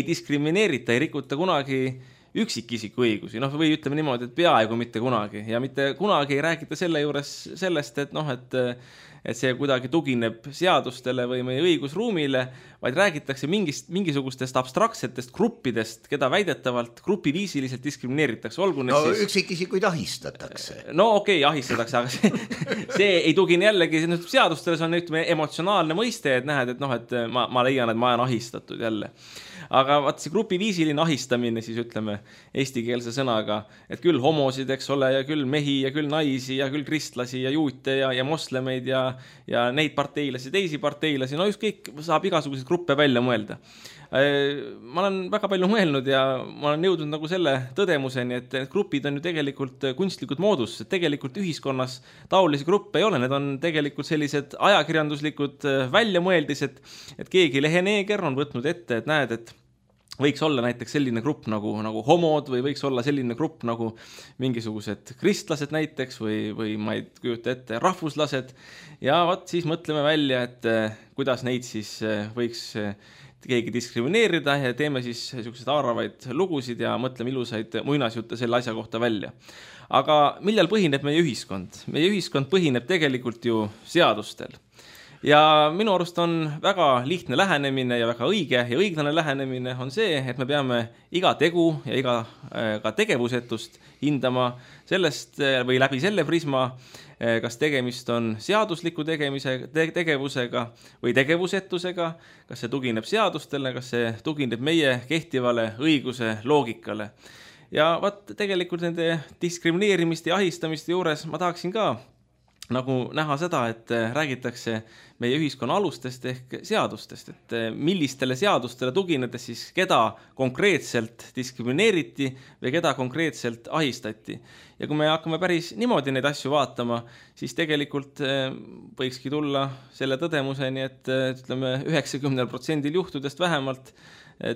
diskrimineerita, ei rikuta kunagi üksikisiku õigusi, või ütleme niimoodi, et peaaegu mitte kunagi ja mitte kunagi ei räägita selle juures sellest, et see kuidagi tugineb seadustele või meie õigusruumile, vaid räägitakse mingisugustest abstraktsetest gruppidest, keda väidetavalt grupiviisiliselt diskrimineeritakse.
Üksikisikuid ahistatakse.
Okei, ahistatakse, aga see ei tugine jällegi seadustele, see on emotsionaalne mõiste, et näed, et ma leian, et ma olen ahistatud jälle. Aga vaat see grupiviisiline ahistamine, siis ütleme eestikeelse sõnaga, et küll homosid, eks ole, ja küll mehi ja küll naisi ja küll kristlasi ja juute ja moslemeid ja neid parteilasi, teisi parteilasi, ükskõik saab igasuguseid gruppe välja mõelda. Ma olen väga palju mõelnud ja ma olen jõudnud nagu selle tõdemuseni, et need grupid on ju tegelikult kunstlikud moodus, et tegelikult ühiskonnas taolisi gruppe ei ole, need on tegelikult sellised ajakirjanduslikud väljamõeldised, et keegi leheneeger on võtnud ette, et näed, et võiks olla näiteks selline grupp nagu homod või võiks olla selline grupp nagu mingisugused kristlased näiteks või ma ei kujuta ette rahvuslased ja siis mõtleme välja, et kuidas neid siis võiks keegi diskrimineerida ja teeme siis selliseid haaravaid lugusid ja mõtleme ilusaid muinasjutte selle asja kohta välja. Aga millal põhineb meie ühiskond? Meie ühiskond põhineb tegelikult ju seadustel. Ja minu arust on väga lihtne lähenemine ja väga õige ja õiglane lähenemine on see, et me peame iga tegu ja ka tegevusetust hindama sellest või läbi selle prisma, kas tegemist on seadusliku tegevusega või tegevusetusega, kas see tugineb seadustele, kas see tugineb meie kehtivale õiguse loogikale. Ja tegelikult nende diskrimineerimiste ja ahistamiste juures ma tahaksin ka nagu näha seda, et räägitakse meie ühiskonna alustest ehk seadustest, et millistele seadustele tuginedes siis keda konkreetselt diskrimineeriti või keda konkreetselt ahistati. Ja kui me hakkame päris niimoodi neid asju vaatama, siis tegelikult võikski tulla selle tõdemuseni, et ütleme 90% juhtudest vähemalt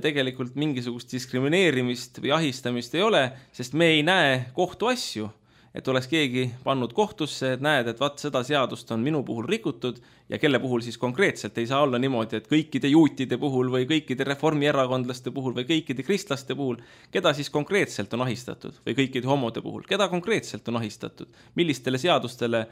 tegelikult mingisugust diskrimineerimist või ahistamist ei ole, sest me ei näe kohtuasju. Et oleks keegi pannud kohtusse, et näed, et vaat seda seadust on minu puhul rikutud ja kelle puhul siis konkreetselt ei saa olla niimoodi, et kõikide juutide puhul või kõikide reformierakondlaste puhul või kõikide kristlaste puhul, keda siis konkreetselt on ahistatud või kõikide homode puhul, keda konkreetselt on ahistatud, millistele seadustele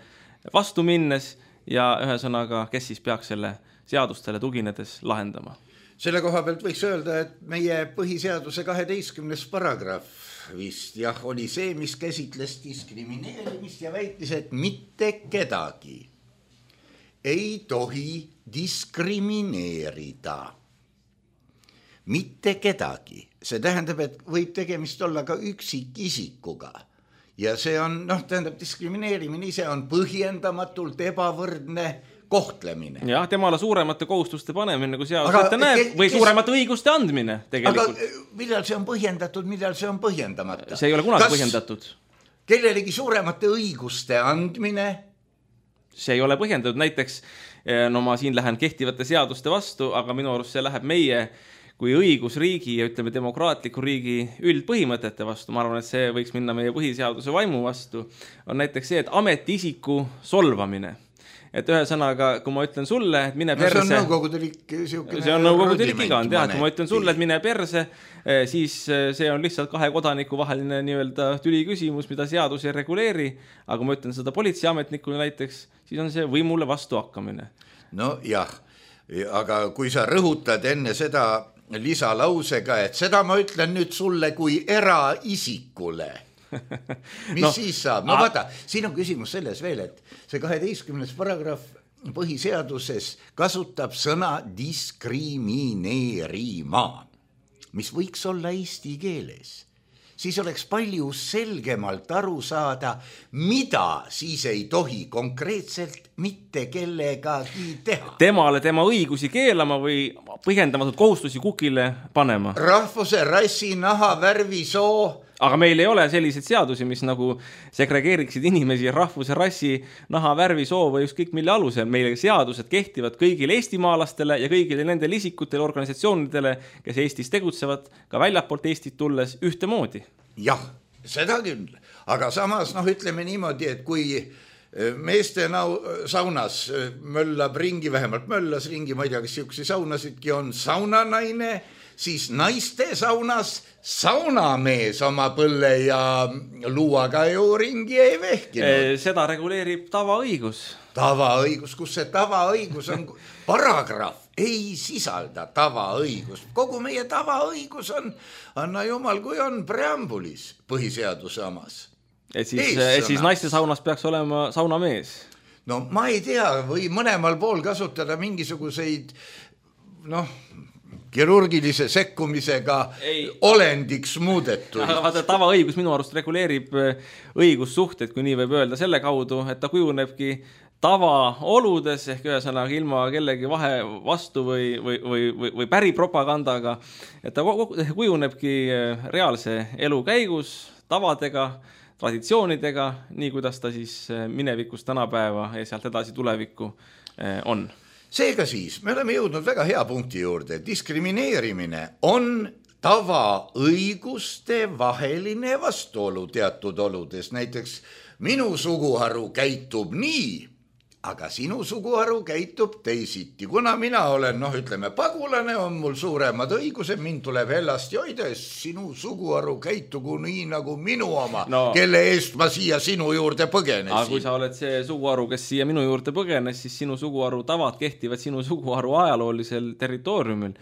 vastu minnes ja ühesõnaga, kes siis peaks selle seadustele tuginedes lahendama.
Selle koha pealt võiks öelda, et meie põhiseaduse 12. paragrahv vist oli see, mis käsitles diskrimineerimist ja väitis, et mitte kedagi ei tohi diskrimineerida. Mitte kedagi. See tähendab, et võib tegemist olla ka üksikisikuga. Ja see on, tähendab, diskrimineerimine ise on põhjendamatult ebavõrdne kohtlemine.
Jah, temale suuremate kohustuste panemine, kui seadus ette näeb, või suuremate õiguste andmine tegelikult.
Aga millal see on põhjendatud, millal see on põhjendamata?
See ei ole kunagi põhjendatud.
Kellelegi suuremate õiguste andmine?
See ei ole põhjendatud. Näiteks, ma siin lähen kehtivate seaduste vastu, aga minu arust see läheb meie kui õigusriigi ja ütleme demokraatliku riigi üldpõhimõtete vastu, ma arvan, et see võiks minna meie põhiseaduse vaimu vastu, on näiteks see, et ametiisiku solvamine. Et ühesõnaga, kui ma ütlen sulle, et mine perse...
See on nõukogudelik
see on nõukogudelik iga, kui ma ütlen sulle, et mine perse, siis see on lihtsalt kahe kodaniku vaheline nii-öelda tüli küsimus, mida seadus ei reguleeri, aga kui ma ütlen seda politseiametnikule näiteks, siis on see võimule vastu hakkamine.
No jah, aga kui sa rõhutad enne seda lisalausega, et seda ma ütlen nüüd sulle kui eraisikule, mis no, siis saab? No vaata, siin on küsimus selles veel, et see 12. paragrahv põhiseaduses kasutab sõna diskrimineerima, mis võiks olla eesti keeles. Siis oleks palju selgemalt aru saada, mida siis ei tohi konkreetselt mitte kellegagi teha.
Temale tema õigusi keelama või põhjendamatud kohustusi kukile panema.
Rahvuse, rassi, naha, värvi, soo.
Aga meil ei ole selliseid seadusi, mis nagu segregeeriksid inimesi rahvuse, rassi, naha, värvi, soo või ükskõik mille alusel. Meil seadused kehtivad kõigile eestimaalastele ja kõigile nendele isikutele, organisatsioonidele, kes Eestis tegutsevad, ka väljapoolt Eestit tulles ühtemoodi.
Jah, seda küll. Aga samas, ütleme niimoodi, et kui meeste saunas möllab ringi, vähemalt möllas ringi, ma ei tea, kas siuksi saunasidki on saunanaine, siis naiste saunas saunamees oma põlle ja luuaga ju ringi ei vehkinud.
Seda reguleerib tavaõigus.
Tavaõigus, kus see tavaõigus on? Paragrahv ei sisalda tavaõigus. Kogu meie tavaõigus on, anna jumal, kui on preambulis põhiseaduse omas.
Et siis naiste saunas peaks olema saunamees?
No ma ei tea, või mõlemal pool kasutada mingisuguseid, kirurgilise sekkumisega olendiks muudetud.
Vaata, tavaõigus minu arust reguleerib õigussuhted, kui nii võib öelda, selle kaudu, et ta kujunebki tavaoludes ehk ühesõnaga ilma kellegi vastu või päripropagandaga, et ta kujunebki reaalse elu käigus tavadega, traditsioonidega, nii kuidas ta siis minevikus tänapäeva ja sealt edasi tulevikku on.
Seega siis, me oleme jõudnud väga hea punkti juurde. Diskrimineerimine on tavaõiguste vaheline vastuolu teatud oludes. Näiteks minu suguharu käitub nii, aga sinu suguharu käitub teisiti. Kuna mina olen, ütleme, pagulane, on mul suuremad õigused, mind tuleb hellast joida, sinu suguharu käitugu nii nagu minu oma, kelle eest ma siia sinu juurde põgenesin.
Aga kui sa oled see suguharu, kes siia minu juurde põgenes, siis sinu suguharu tavad kehtivad sinu suguharu ajaloolisel territooriumil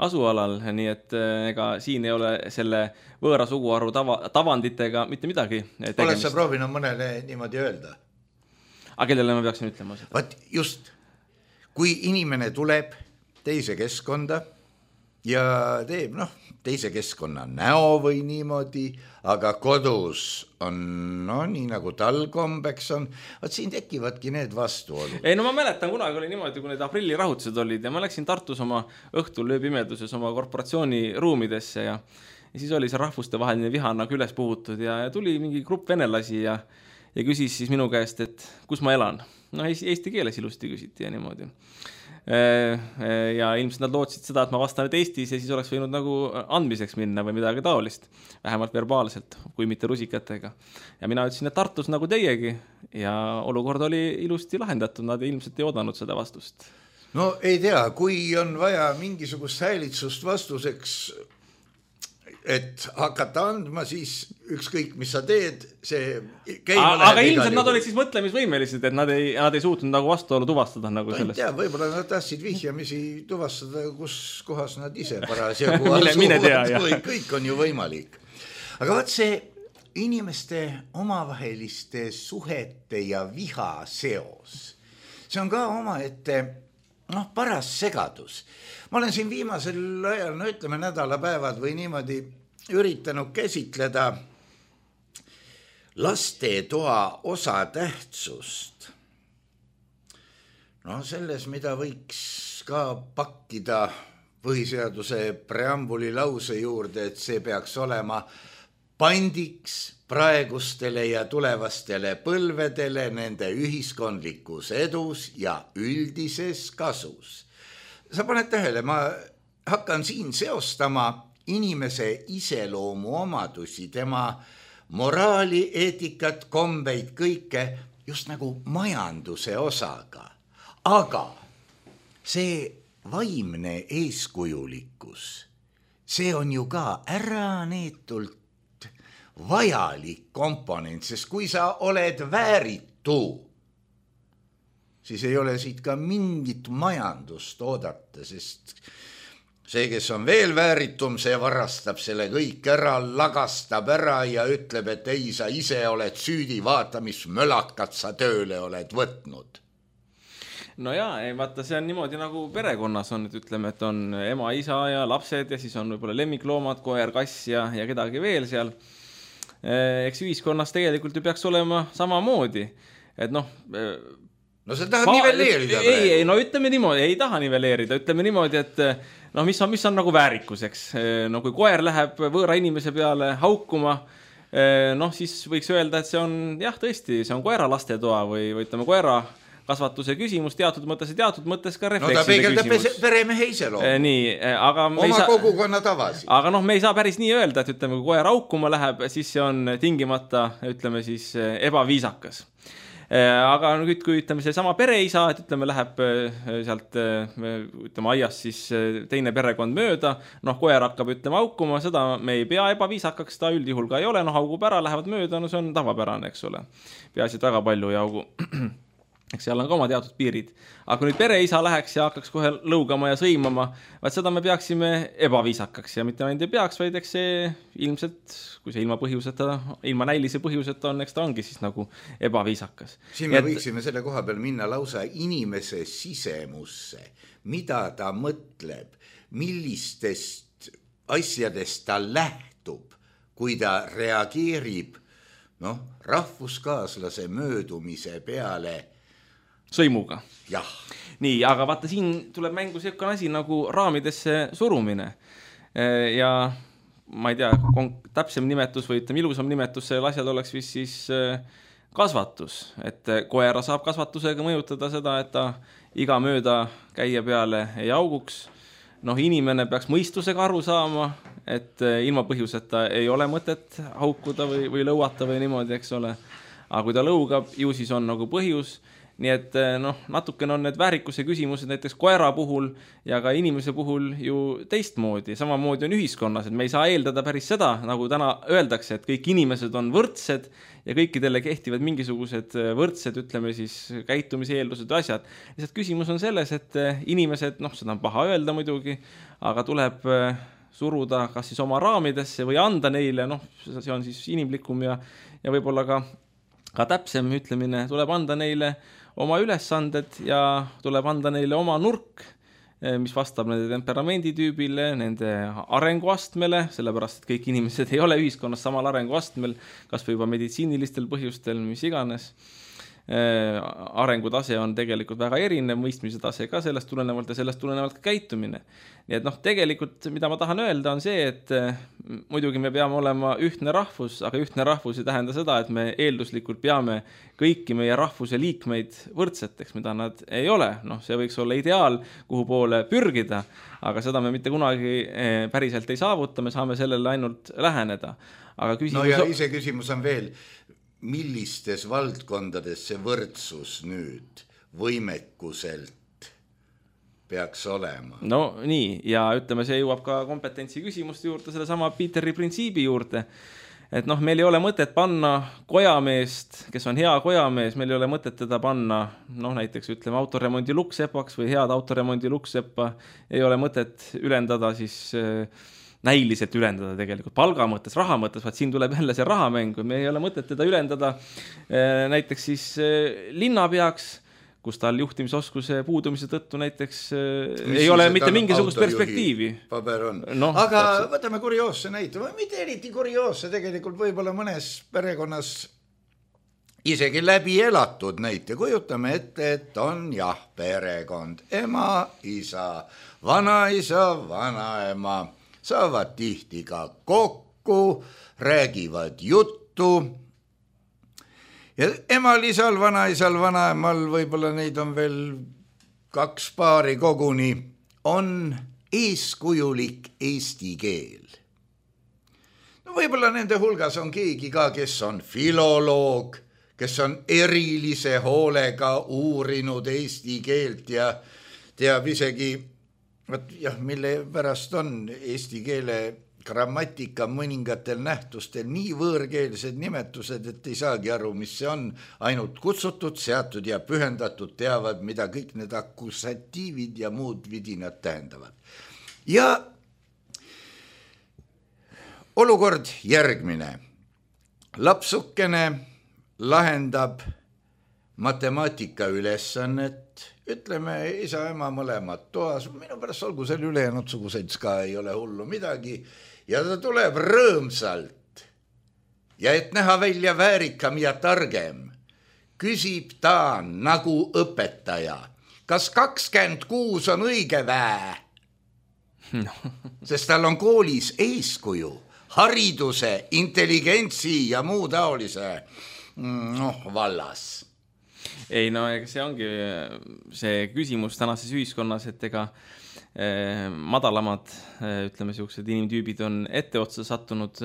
asualal, nii et ega siin ei ole selle võõra suguharu tavanditega mitte midagi tegemist.
Oled sa proovinud mõnele niimoodi öelda?
Aga kellele ma peaksin ütlema seda?
Vaat just, kui inimene tuleb teise keskkonda ja teeb teise keskkonna näo või niimoodi, aga kodus on nii nagu tal kombeks on, vaat siin tekivadki need vastuolud.
Ei, ma mäletan, kunagi oli niimoodi, kui need aprillirahutused olid ja ma läksin Tartus oma õhtul ööpimeduses oma korporatsiooni ruumidesse ja siis oli see rahvuste vaheline viha nagu üles puhutud ja tuli mingi grupp venelasi ja küsis siis minu käest, et kus ma elan. Eesti keeles ilusti küsiti ja niimoodi. Ja ilmselt nad lootsid seda, et ma vastan nüüd Eestis ja siis oleks võinud nagu andmiseks minna või midagi taolist, vähemalt verbaalselt, kui mitte rusikatega. Ja mina ütlesin, et Tartus nagu teiegi ja olukord oli ilusti lahendatud, nad ilmselt ei oodanud seda vastust.
No ei tea, kui on vaja mingisugust häälitsust vastuseks, et hakata andma, siis ükskõik, mis sa teed, see käima läheb.
Aga ilmselt nad olid siis mõtlemisvõimelised, et nad ei suutnud nagu vastuolu tuvastada nagu sellest.
Ei tea, võib-olla nad tahtsid vihjamisi tuvastada, kus kohas nad ise parasjagu või kõik on ju võimalik. Aga vaat see inimeste omavaheliste suhete ja viha seos, see on ka omaette paras segadus. Ma olen siin viimasel ajal, ütleme nädalapäevad või niimoodi üritanud käsitleda lastetoa osatähtsust. Selles, mida võiks ka pakkida põhiseaduse preambuli lause juurde, et see peaks olema pandiks praegustele ja tulevastele põlvedele nende ühiskondlikus edus ja üldises kasus. Sa paned tähele, ma hakkan siin seostama inimese iseloomu omadusi, tema moraali, eetikat, kombeid, kõike just nagu majanduse osaga. Aga see vaimne eeskujulikkus, see on ju ka äraneetult vajalik komponent, sest kui sa oled vääritu, siis ei ole siit ka mingit majandust oodata, sest see, kes on veel vääritum, see varastab selle kõik ära, lagastab ära ja ütleb, et ei, sa ise oled süüdi, vaata, mis mölakat sa tööle oled võtnud.
No jaa, vaata, see on niimoodi nagu perekonnas on, et ütleme, et on ema, isa ja lapsed ja siis on võib-olla lemmikloomad, koer, kass ja kedagi veel seal. Eks ühiskonnas tegelikult ju peaks olema samamoodi, et noh...
No sa tahad nivelleerida
praegu? Ei, no ütleme niimoodi, ei taha nivelleerida, ütleme niimoodi, et no mis on nagu väärikuseks. No kui koer läheb võõra inimese peale haukuma, noh siis võiks öelda, et see on, jah, tõesti, see on koera lastetoa või ütleme koera kasvatuse küsimus, teatud mõttes ka reflekside küsimus. No ta peegeldab
peremehe iseloomu.
Nii, aga
oma kogukonna tavasi.
Aga noh, me ei saa päris nii öelda, et ütleme, kui koer haukuma läheb, siis see on tingimata, ütleme siis, ebaviisakas. Aga nüüd, kui ütleme see sama pereisa, et ütleme läheb sealt ütleme aias siis teine perekond mööda, noh koer hakkab ütlema haukuma, seda me ei pea ebaviisakaks, ta üldjuhul ka ei ole, noh haugub ära, lähevad mööda, no see on tavapärane, eks ole. Peaasi, et väga palju ei haugu. Eks seal on ka oma teatud piirid. Aga kui nüüd pereisa läheks ja hakkaks kohe lõugama ja sõimama, vaid seda me peaksime ebaviisakaks ja mitte ainult ei peaks, vaid eks see ilmselt, kui see ilma näilise põhjuseta on, eks ta ongi siis nagu ebaviisakas.
Siin me võiksime selle koha peal minna lausa inimese sisemusse, mida ta mõtleb, millistest asjadest ta lähtub, kui ta reageerib rahvuskaaslase möödumise peale
sõimuga.
Jah.
Nii, aga vaata, siin tuleb mängu selline asi nagu raamidesse surumine. Ja ma ei tea, täpsem nimetus või ütleme ilusam nimetus sellel asjal oleks vist siis kasvatus. Et koera saab kasvatusega mõjutada seda, et ta iga mööda käia peale ei auguks. Noh, inimene peaks mõistusega aru saama, et ilma põhjuseta ei ole mõtet haukuda või lõuata või niimoodi, eks ole. Aga kui ta lõugab, ju siis on nagu põhjus. Nii et natukene on need väärikuse küsimused näiteks koera puhul ja ka inimese puhul ju teistmoodi. Samamoodi on ühiskonnas, et me ei saa eeldada päris seda, nagu täna öeldakse, et kõik inimesed on võrdsed ja kõikidele kehtivad mingisugused võrdsed, ütleme siis, käitumiseeldused või asjad. Lihtsalt küsimus on selles, et inimesed, seda on paha öelda muidugi, aga tuleb suruda kas siis oma raamidesse või anda neile, see on siis inimlikum ja võib-olla ka täpsem ütlemine, tuleb anda neile oma ülesanded ja tuleb anda neile oma nurk, mis vastab nende temperamenditüübile, nende arenguastmele, sellepärast, et kõik inimesed ei ole ühiskonnas samal arenguastmel, kas või juba meditsiinilistel põhjustel, mis iganes. Arengutase on tegelikult väga erinev, mõistmise tase ka sellest tulenevalt ja sellest tulenevalt ka käitumine. Nii et tegelikult, mida ma tahan öelda, on see, et muidugi me peame olema ühtne rahvus, aga ühtne rahvus ei tähenda seda, et me eelduslikult peame kõiki meie rahvuse liikmeid võrdseteks, mida nad ei ole. See võiks olla ideaal, kuhu poole pürgida, aga seda me mitte kunagi päriselt ei saavuta, me saame sellele ainult läheneda. Aga küsimus...
ja ise küsimus on veel, millistes valdkondades see võrdsus nüüd võimekuselt peaks olema?
No nii, ja ütleme, see jõuab ka kompetentsi küsimuste juurde, selle sama Peteri printsiibi juurde, et meil ei ole mõtet panna kojameest, kes on hea kojamees, meil ei ole mõtet teda panna, näiteks ütleme autoremondi luksepaks või head autoremondi lukseppa, ei ole mõtet ülendada siis... näiliselt ülendada tegelikult palga mõttes, raha mõttes, vaid siin tuleb jälle see rahamängu. Me ei ole mõtet teda ülendada näiteks siis linnapeaks, kus tal juhtimisoskuse puudumise tõttu näiteks ei ole mitte mingisugust perspektiivi.
Paber on. Aga võtame kurioosse näite, mitte eriti kurioosse, tegelikult võib-olla mõnes perekonnas isegi läbi elatud näite. Kujutame ette, et on perekond, ema, isa, vanaema, saavad tihti ka kokku, räägivad juttu ja emal, isal, vanaemal, võib-olla neid on veel 2 paari koguni, on eeskujulik eesti keel. No võib-olla nende hulgas on keegi ka, kes on filoloog, kes on erilise hoolega uurinud eesti keelt ja teab isegi, mille pärast on eesti keele grammatika mõningatel nähtustel nii võõrkeelsed nimetused, et ei saagi aru, mis see on, ainult kutsutud, seatud ja pühendatud teavad, mida kõik need akkusatiivid ja muud vidinad tähendavad. Ja olukord järgmine. Lapsukene lahendab matemaatika ülesannet, ütleme isa-ema mõlemad toas, minu pärast olgu seal ülejäänud suguseid ka ei ole hullu midagi, ja ta tuleb rõõmsalt ja et näha välja väärikam ja targem, küsib ta nagu õpetaja, kas 26 on õige vää? No. Sest tal on koolis eeskuju, hariduse, intelligentsi ja muu taolise vallas.
Ei, no see ongi see küsimus tänases ühiskonnas, et ega madalamad, ütleme, siuksed inimtüübid on etteotsa sattunud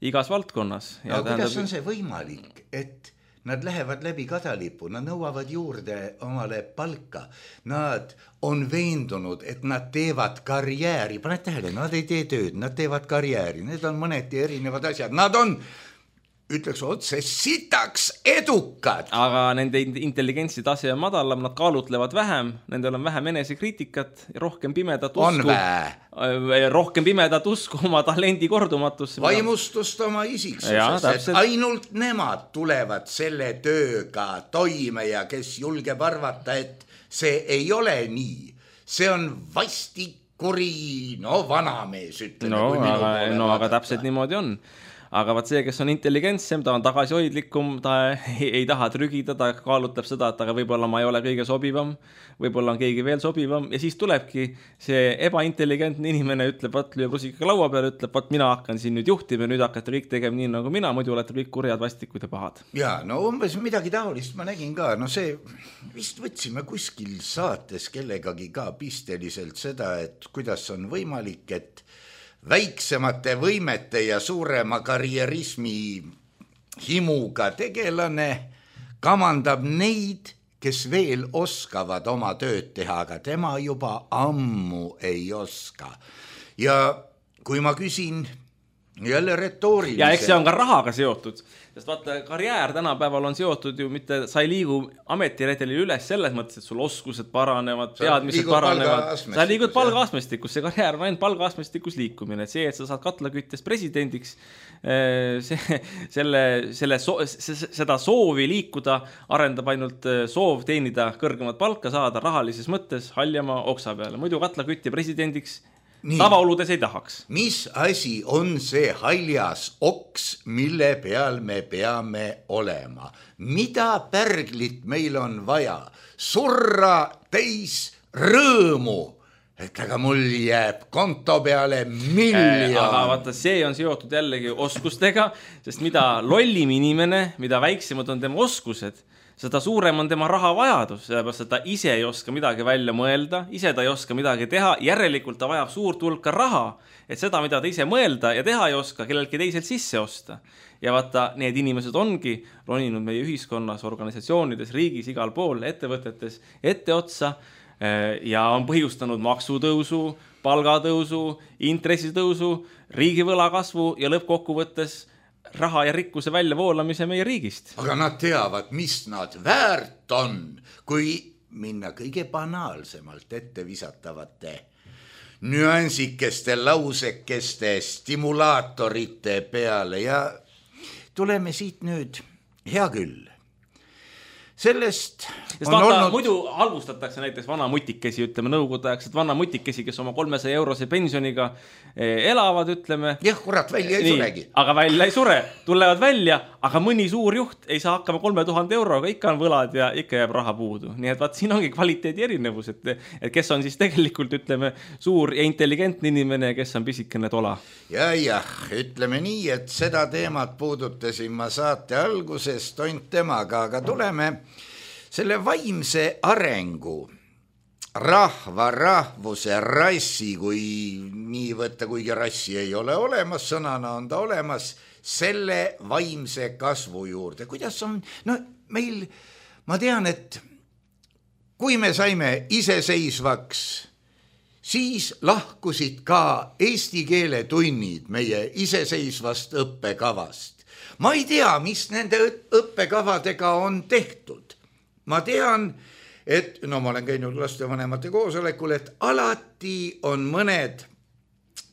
igas valdkonnas.
Ja kuidas on see võimalik, et nad lähevad läbi kadalipu, nad nõuavad juurde omale palka, nad on veendunud, et nad teevad karjääri, paned tähele, nad ei tee tööd, nad teevad karjääri, need on mõneti erinevad asjad, nad on ütleks otse sitaks edukad.
Aga nende intelligentsi tase on madalam, nad kaalutlevad vähem, nendel on vähem enesekriitikat, rohkem pimedat usku. Rohkem pimedat usku oma talendi kordumatusse.
Vaimustust oma isiksuses, et ainult nemad tulevad selle tööga toime ja kes julgeb arvata, et see ei ole nii. See on vastikuri, vanamees, ütleme.
Aga täpselt niimoodi on. Aga vaat see, kes on intelligentsem, ta on tagasihoidlikum, ta ei taha trügida, ta kaalutab seda, et aga võib-olla ma ei ole kõige sobivam, võib-olla on keegi veel sobivam ja siis tulebki see ebaintelligentne inimene, ütleb, lüüb rusikaga laua peale, ütleb, mina hakkan siin nüüd juhtima ja nüüd hakkate kõik tegema nii nagu mina, muidu olete kõik kurjad, vastikud ja pahad.
Ja, umbes midagi taolist ma nägin ka, see vist võtsime kuskil saates kellegagi ka pisteliselt seda, et kuidas on võimalik, et väiksemate võimete ja suurema karjerismi himuga tegelane kamandab neid, kes veel oskavad oma tööd teha, aga tema juba ammu ei oska. Ja kui ma küsin jälle retooriliselt.
Ja eks see on ka rahaga seotud, sest vaata, karjäär tänapäeval on seotud ju mitte, sa ei liigu ametiredeli üles selles mõttes, et sul oskused paranevad, teadmised paranevad. Sa liigud palgaastmestikus, see karjäär on ainult palgaastmestikus liikumine. See, et sa saad katlaküttest presidendiks, seda soovi liikuda arendab ainult soov teenida kõrgemat palka, saada rahalises mõttes haljama oksa peale. Muidu katlakütti presidendiks tavaoludes ei tahaks.
Mis asi on see haljas oks, mille peal me peame olema? Mida pärglit meil on vaja? Surra täis rõõmu, et aga mul jääb konto peale miljon.
Aga vaata, see on seotud jällegi oskustega, sest mida lollim inimene, mida väiksemad on tema oskused, seda suurem on tema rahavajadus, sellepärast, et ta ise ei oska midagi välja mõelda, ise ta ei oska midagi teha, järelikult ta vajab suurt hulka raha, et seda, mida ta ise mõelda ja teha ei oska, kellelgi teiselt sisse osta. Ja vaata, need inimesed ongi roninud meie ühiskonnas, organisatsioonides, riigis, igal pool, ettevõtetes etteotsa ja on põhjustanud maksutõusu, palgatõusu, intressitõusu, riigivõla kasvu ja lõppkokkuvõttes raha ja rikkuse väljavoolamise meie riigist.
Aga nad teavad, mis nad väärt on, kui minna kõige banaalsemalt ette visatavate nüansikeste, lausekeste, stimulaatorite peale ja tuleme siit nüüd, hea küll. Sellest
on olnud... Muidu halvustatakse näiteks vana mutikesi, ütleme nõukogudeaegselt vana mutikesi, kes oma 300 eurose pensioniga elavad, ütleme.
Jah, kurat, välja ei suregi.
Aga välja ei sure, tulevad välja, aga mõni suur juht ei saa hakkama 3000 euroga, ikka on võlad ja ikka jääb raha puudu. Nii et vaat siin ongi kvaliteedi erinevus, et kes on siis tegelikult, ütleme, suur ja intelligentne inimene ja kes on pisikene tola.
Ja, ütleme nii, et seda teemat puudutasin ma saate alguses tont temaga, aga tuleme selle vaimse arengu rahva, rahvuse, rassi, kui nii võtta, kuigi rassi ei ole olemas, sõnana on ta olemas, selle vaimse kasvu juurde. Kuidas on, no meil, ma tean, et kui me saime iseseisvaks, siis lahkusid ka eesti keele tunnid meie iseseisvast õppekavast. Ma ei tea, mis nende õppekavadega on tehtud. Ma tean, et no ma olen käinud lastevanemate koosolekul, et alati on mõned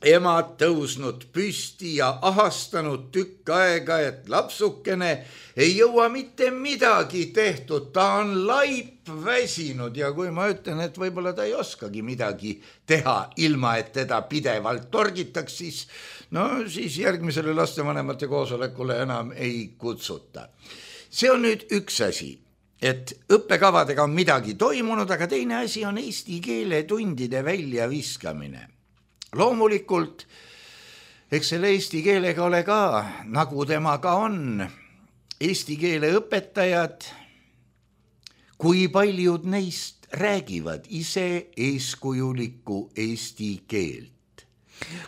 emad tõusnud püsti ja ahastanud tükk aega, et lapsukene ei jõua mitte midagi tehtud, ta on laip väsinud ja kui ma ütlen, et võib-olla ta ei oskagi midagi teha ilma, et teda pidevalt torgitaks, siis järgmisele lastevanemate koosolekule enam ei kutsuta. See on nüüd üks asi, et õppekavadega on midagi toimunud, aga teine asi on eesti keele tundide väljaviskamine. Loomulikult, eks selle eesti keelega ole ka, nagu temaga on, eesti keele õpetajad, kui paljud neist räägivad ise eeskujulikku eesti keelt.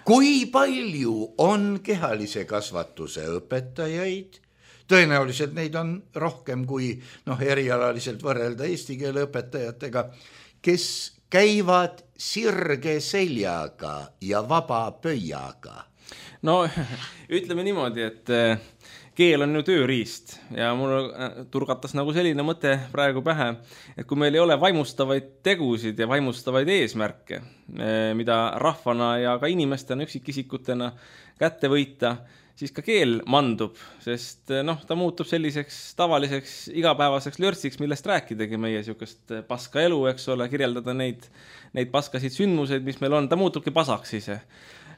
Kui palju on kehalise kasvatuse õpetajaid, tõenäoliselt neid on rohkem kui erialaliselt võrrelda eesti keele õpetajatega, kes käivad sirge seljaga ja vaba pöiaga.
No ütleme niimoodi, et keel on ju tööriist ja mul turgatas nagu selline mõte praegu pähe, et kui meil ei ole vaimustavaid tegusid ja vaimustavaid eesmärke, mida rahvana ja ka inimestena, üksikisikutena kätte võita, siis ka keel mandub, sest ta muutub selliseks tavaliseks igapäevaseks lörtsiks, millest rääkidagi meie sihukest paska elu, eks ole, kirjeldada neid paskasid sündmuseid, mis meil on, ta muutubki pasaks ise.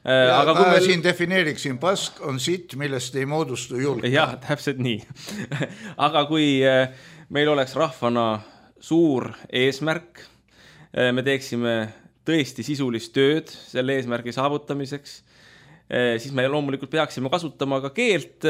Aga kui ma siin defineeriksin, pask on sitt, millest ei moodustu julg.
Jah, täpselt nii. Aga kui meil oleks rahvana suur eesmärk, me teeksime tõesti sisulist tööd selle eesmärgi saavutamiseks, siis me loomulikult peaksime kasutama ka keelt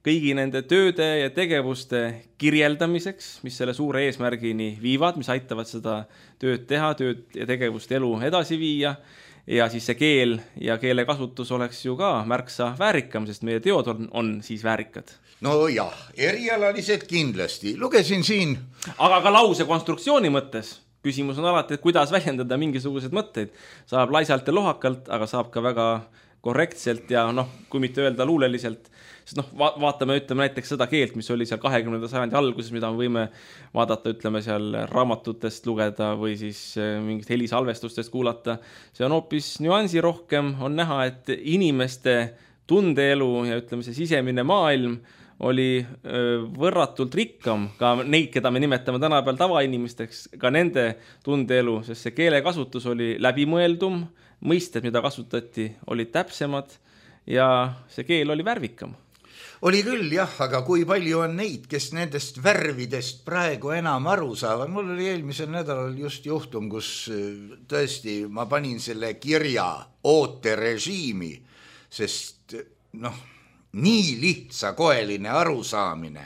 kõigi nende tööde ja tegevuste kirjeldamiseks, mis selle suure eesmärgini viivad, mis aitavad seda tööd teha, tööd ja tegevust elu edasi viia. Ja siis see keel ja keele kasutus oleks ju ka märksa väärikam, sest meie teod on siis väärikad.
No jah, erialaliselt kindlasti. Lugesin siin.
Aga ka lause konstruktsiooni mõttes. Küsimus on alati, et kuidas väljendada mingisugused mõtteid. Saab laisalt ja lohakalt, aga saab ka väga korrektselt ja kui mitte öelda luuleliselt, sest vaatame, ütleme näiteks seda keelt, mis oli seal 20. sajandi alguses, mida me võime vaadata, ütleme seal raamatutest lugeda või siis mingit helisalvestustest kuulata. See on hoopis nüansi rohkem, on näha, et inimeste tundeelu ja ütleme see sisemine maailm oli võrratult rikkam, ka neid, keda me nimetame tänapäeval tavainimesteks, ka nende tundeelu, sest see keelekasutus oli läbimõeldum, mõisted, mida kasutati, olid täpsemad ja see keel oli värvikam.
Oli küll jah, aga kui palju on neid, kes nendest värvidest praegu enam aru saavad? Mul oli eelmisel nädalal just juhtum, kus tõesti ma panin selle kirja ooterežiimi, sest nii lihtsakoeline arusaamine.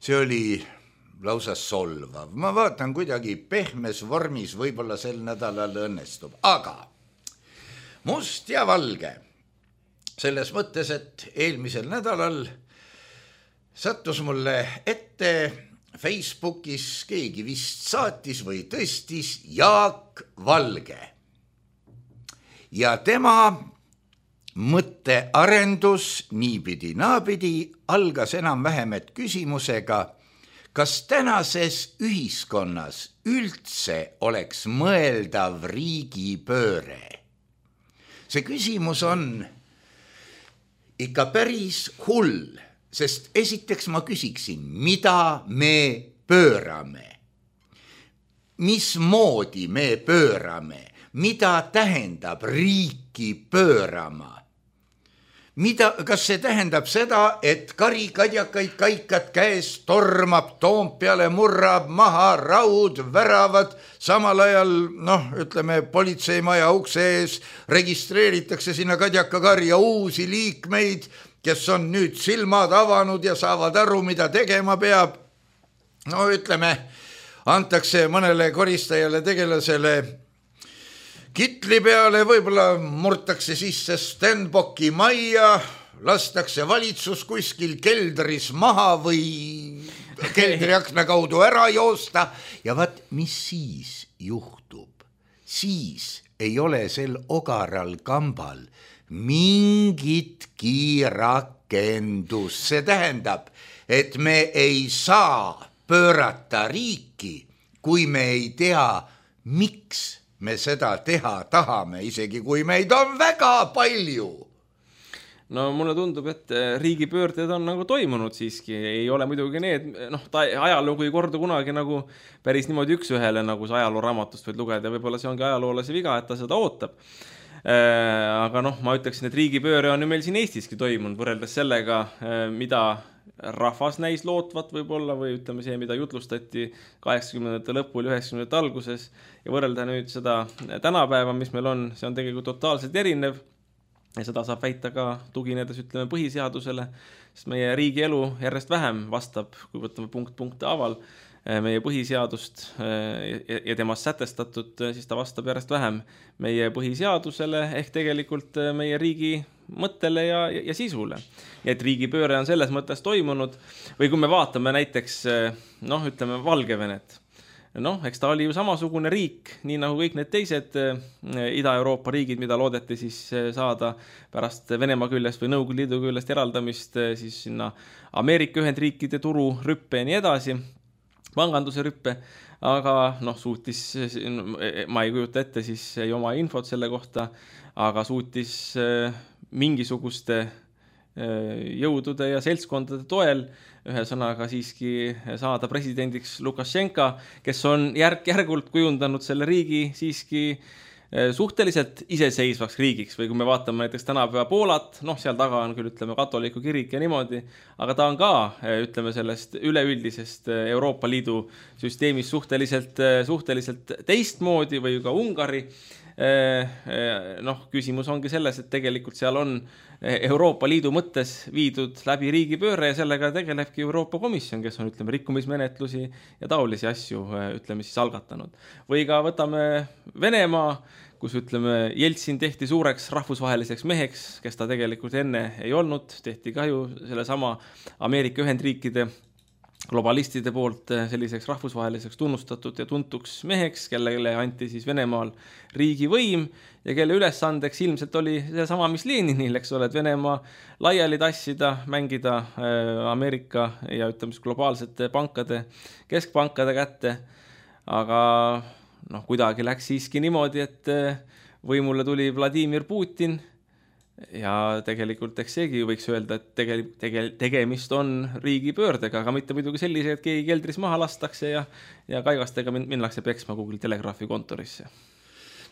See oli lausa solvav. Ma vaatan kuidagi pehmes vormis, võib-olla sel nädalal õnnestub. Aga must ja valge. Selles mõttes, et eelmisel nädalal sattus mulle ette Facebookis, keegi vist saatis või tõstis Jaak Valge. Ja tema mõttearendus niipidi naapidi algas enam-vähem küsimusega, kas tänases ühiskonnas üldse oleks mõeldav riigipööre? See küsimus on ikka päris hull, sest esiteks ma küsiksin, mida me pöörame? Mismoodi me pöörame? Mida tähendab riiki pöörama? Kas see tähendab seda, et karikadjakaid kaikad käes tormab Toompeale, murrab maha raud, väravad, samal ajal, ütleme, politseimaja ukse ees registreeritakse sinna kadjakakarja uusi liikmeid, kes on nüüd silmad avanud ja saavad aru, mida tegema peab. Ütleme, antakse mõnele koristajale tegelasele kitli peale, võib-olla murtakse sisse Stenbocki majja, lastakse valitsus kuskil keldris maha või keldriakna kaudu ära joosta ja vaat, mis siis juhtub? Siis ei ole sel ogaral kambal mingitki rakendus. See tähendab, et me ei saa pöörata riiki, kui me ei tea, miks me seda teha tahame, isegi kui meid on väga palju.
No mulle tundub, et riigipöörded on nagu toimunud siiski, ei ole muidugi need, ajalugu ei kordu kunagi nagu päris niimoodi üks ühele, nagu see ajalooraamatust võid lugeda, võib-olla see ongi ajaloolase viga, et ta seda ootab. Aga ma ütleksin, et riigipööre on ju meil siin Eestiski toimunud, võrreldes sellega, mida rahvas näis lootvat võib-olla, või ütleme see, mida jutlustati 80. lõpul, 90. alguses, ja võrrelda nüüd seda tänapäeva, mis meil on, see on tegelikult totaalselt erinev. Ja seda saab väita ka tuginedes, ütleme, põhiseadusele, sest meie riigi elu järjest vähem vastab, kui võtame punkte aval, meie põhiseadust ja temast sätestatud, siis ta vastab järjest vähem meie põhiseadusele ehk tegelikult meie riigi mõttele ja sisule. Ja et riigipööre on selles mõttes toimunud või kui me vaatame näiteks, ütleme, Valgevenet, eks ta oli ju samasugune riik, nii nagu kõik need teised Ida-Euroopa riigid, mida loodeti siis saada pärast Venemaa küljest või Nõukogude Liidu küljest eraldamist siis sinna Ameerika Ühendriikide turu rüppe ja nii edasi, panganduse rüppe, aga suutis, ma ei kujuta ette, siis ei oma infot selle kohta, aga suutis mingisuguste jõudude ja seltskondade toel ühesõnaga siiski saada presidendiks Lukašenka, kes on järk-järgult kujundanud selle riigi siiski suhteliselt iseseisvaks riigiks või kui me vaatame näiteks tänapäeva Poolat, seal taga on küll, ütleme, katoliku kirik ja niimoodi, aga ta on ka, ütleme, sellest üleüldisest Euroopa Liidu süsteemis suhteliselt teistmoodi või ka Ungari. Küsimus ongi selles, et tegelikult seal on Euroopa Liidu mõttes viidud läbi riigipööre ja sellega tegelebki Euroopa Komisjon, kes on, ütleme, rikkumismenetlusi ja taolisi asju, ütleme, siis algatanud. Või ka võtame Venemaa, kus, ütleme, Jeltsin tehti suureks rahvusvaheliseks meheks, kes ta tegelikult enne ei olnud, tehti ka ju sellesama Ameerika Ühendriikide globalistide poolt selliseks rahvusvaheliseks tunnustatud ja tuntuks meheks, kellele anti siis Venemaal riigivõim ja kelle ülesandeks ilmselt oli seesama, mis Leninil, eks ole, et Venemaa laiali tassida, mängida Ameerika ja ütleme globaalsete pankade, keskpankade kätte, aga kuidagi läks siiski niimoodi, et võimule tuli Vladimir Putin ja tegelikult eks seegi võiks öelda, et tegemist on riigipöördega, aga mitte muidugi sellise, et keegi keldris maha lastakse ja kaigastega minnakse peksma Google Telegraafi kontorisse.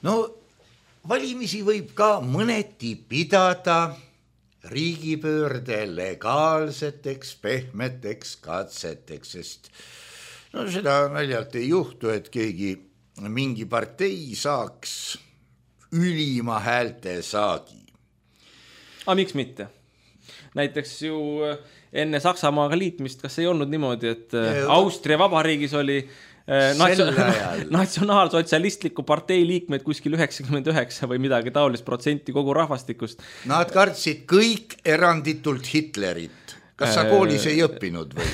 Valimisi võib ka mõneti pidada riigipöörde legaalseteks, pehmeteks katseteks, sest seda naljalt ei juhtu, et keegi mingi partei saaks ülima häälte saagi.
Aga miks mitte? Näiteks ju enne Saksamaaga liitmist, kas ei olnud niimoodi, et Austria Vabariigis oli natsionaalsotsialistliku partei liikmeid kuskil 99 või midagi taolist protsenti kogu rahvastikust.
Nad kartsid kõik eranditult Hitlerit. Kas sa koolis ei õppinud või?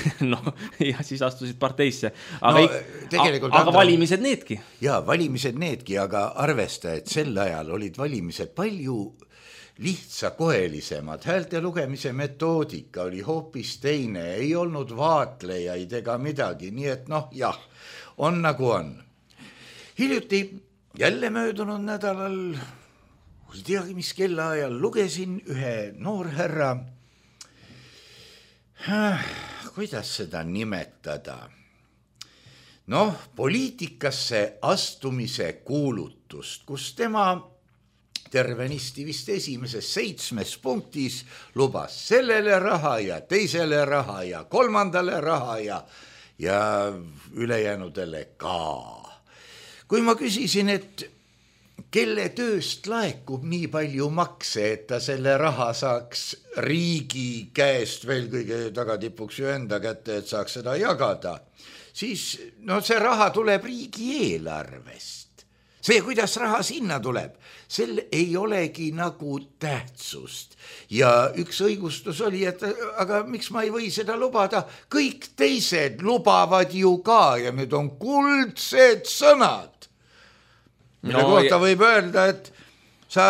Ja siis astusid parteisse. Aga valimised needki.
Jaa, valimised needki, aga arvesta, et sel ajal olid valimised palju lihtsakohelisemad, häälte lugemise metoodika oli hoopis teine, ei olnud vaatlejaid ega midagi, nii et jah, on nagu on. Hiljuti jälle möödunud nädalal, ei teagi mis kellaajal, lugesin ühe noorherra, kuidas seda nimetada, poliitikasse astumise kuulutust, kus tema tervenisti vist esimeses 7 punktis lubas sellele raha ja teisele raha ja kolmandale raha ja ülejäänudele ka. Kui ma küsisin, et kelle tööst laekub nii palju makse, et ta selle raha saaks riigi käest veel kõige tagatipuks ju enda kätte, et saaks seda jagada, siis see raha tuleb riigieelarvest. See, kuidas raha sinna tuleb, sel ei olegi nagu tähtsust. Ja üks õigustus oli, et aga miks ma ei või seda lubada? Kõik teised lubavad ju ka ja need on kuldsed sõnad. Mille kohta võib öelda, et sa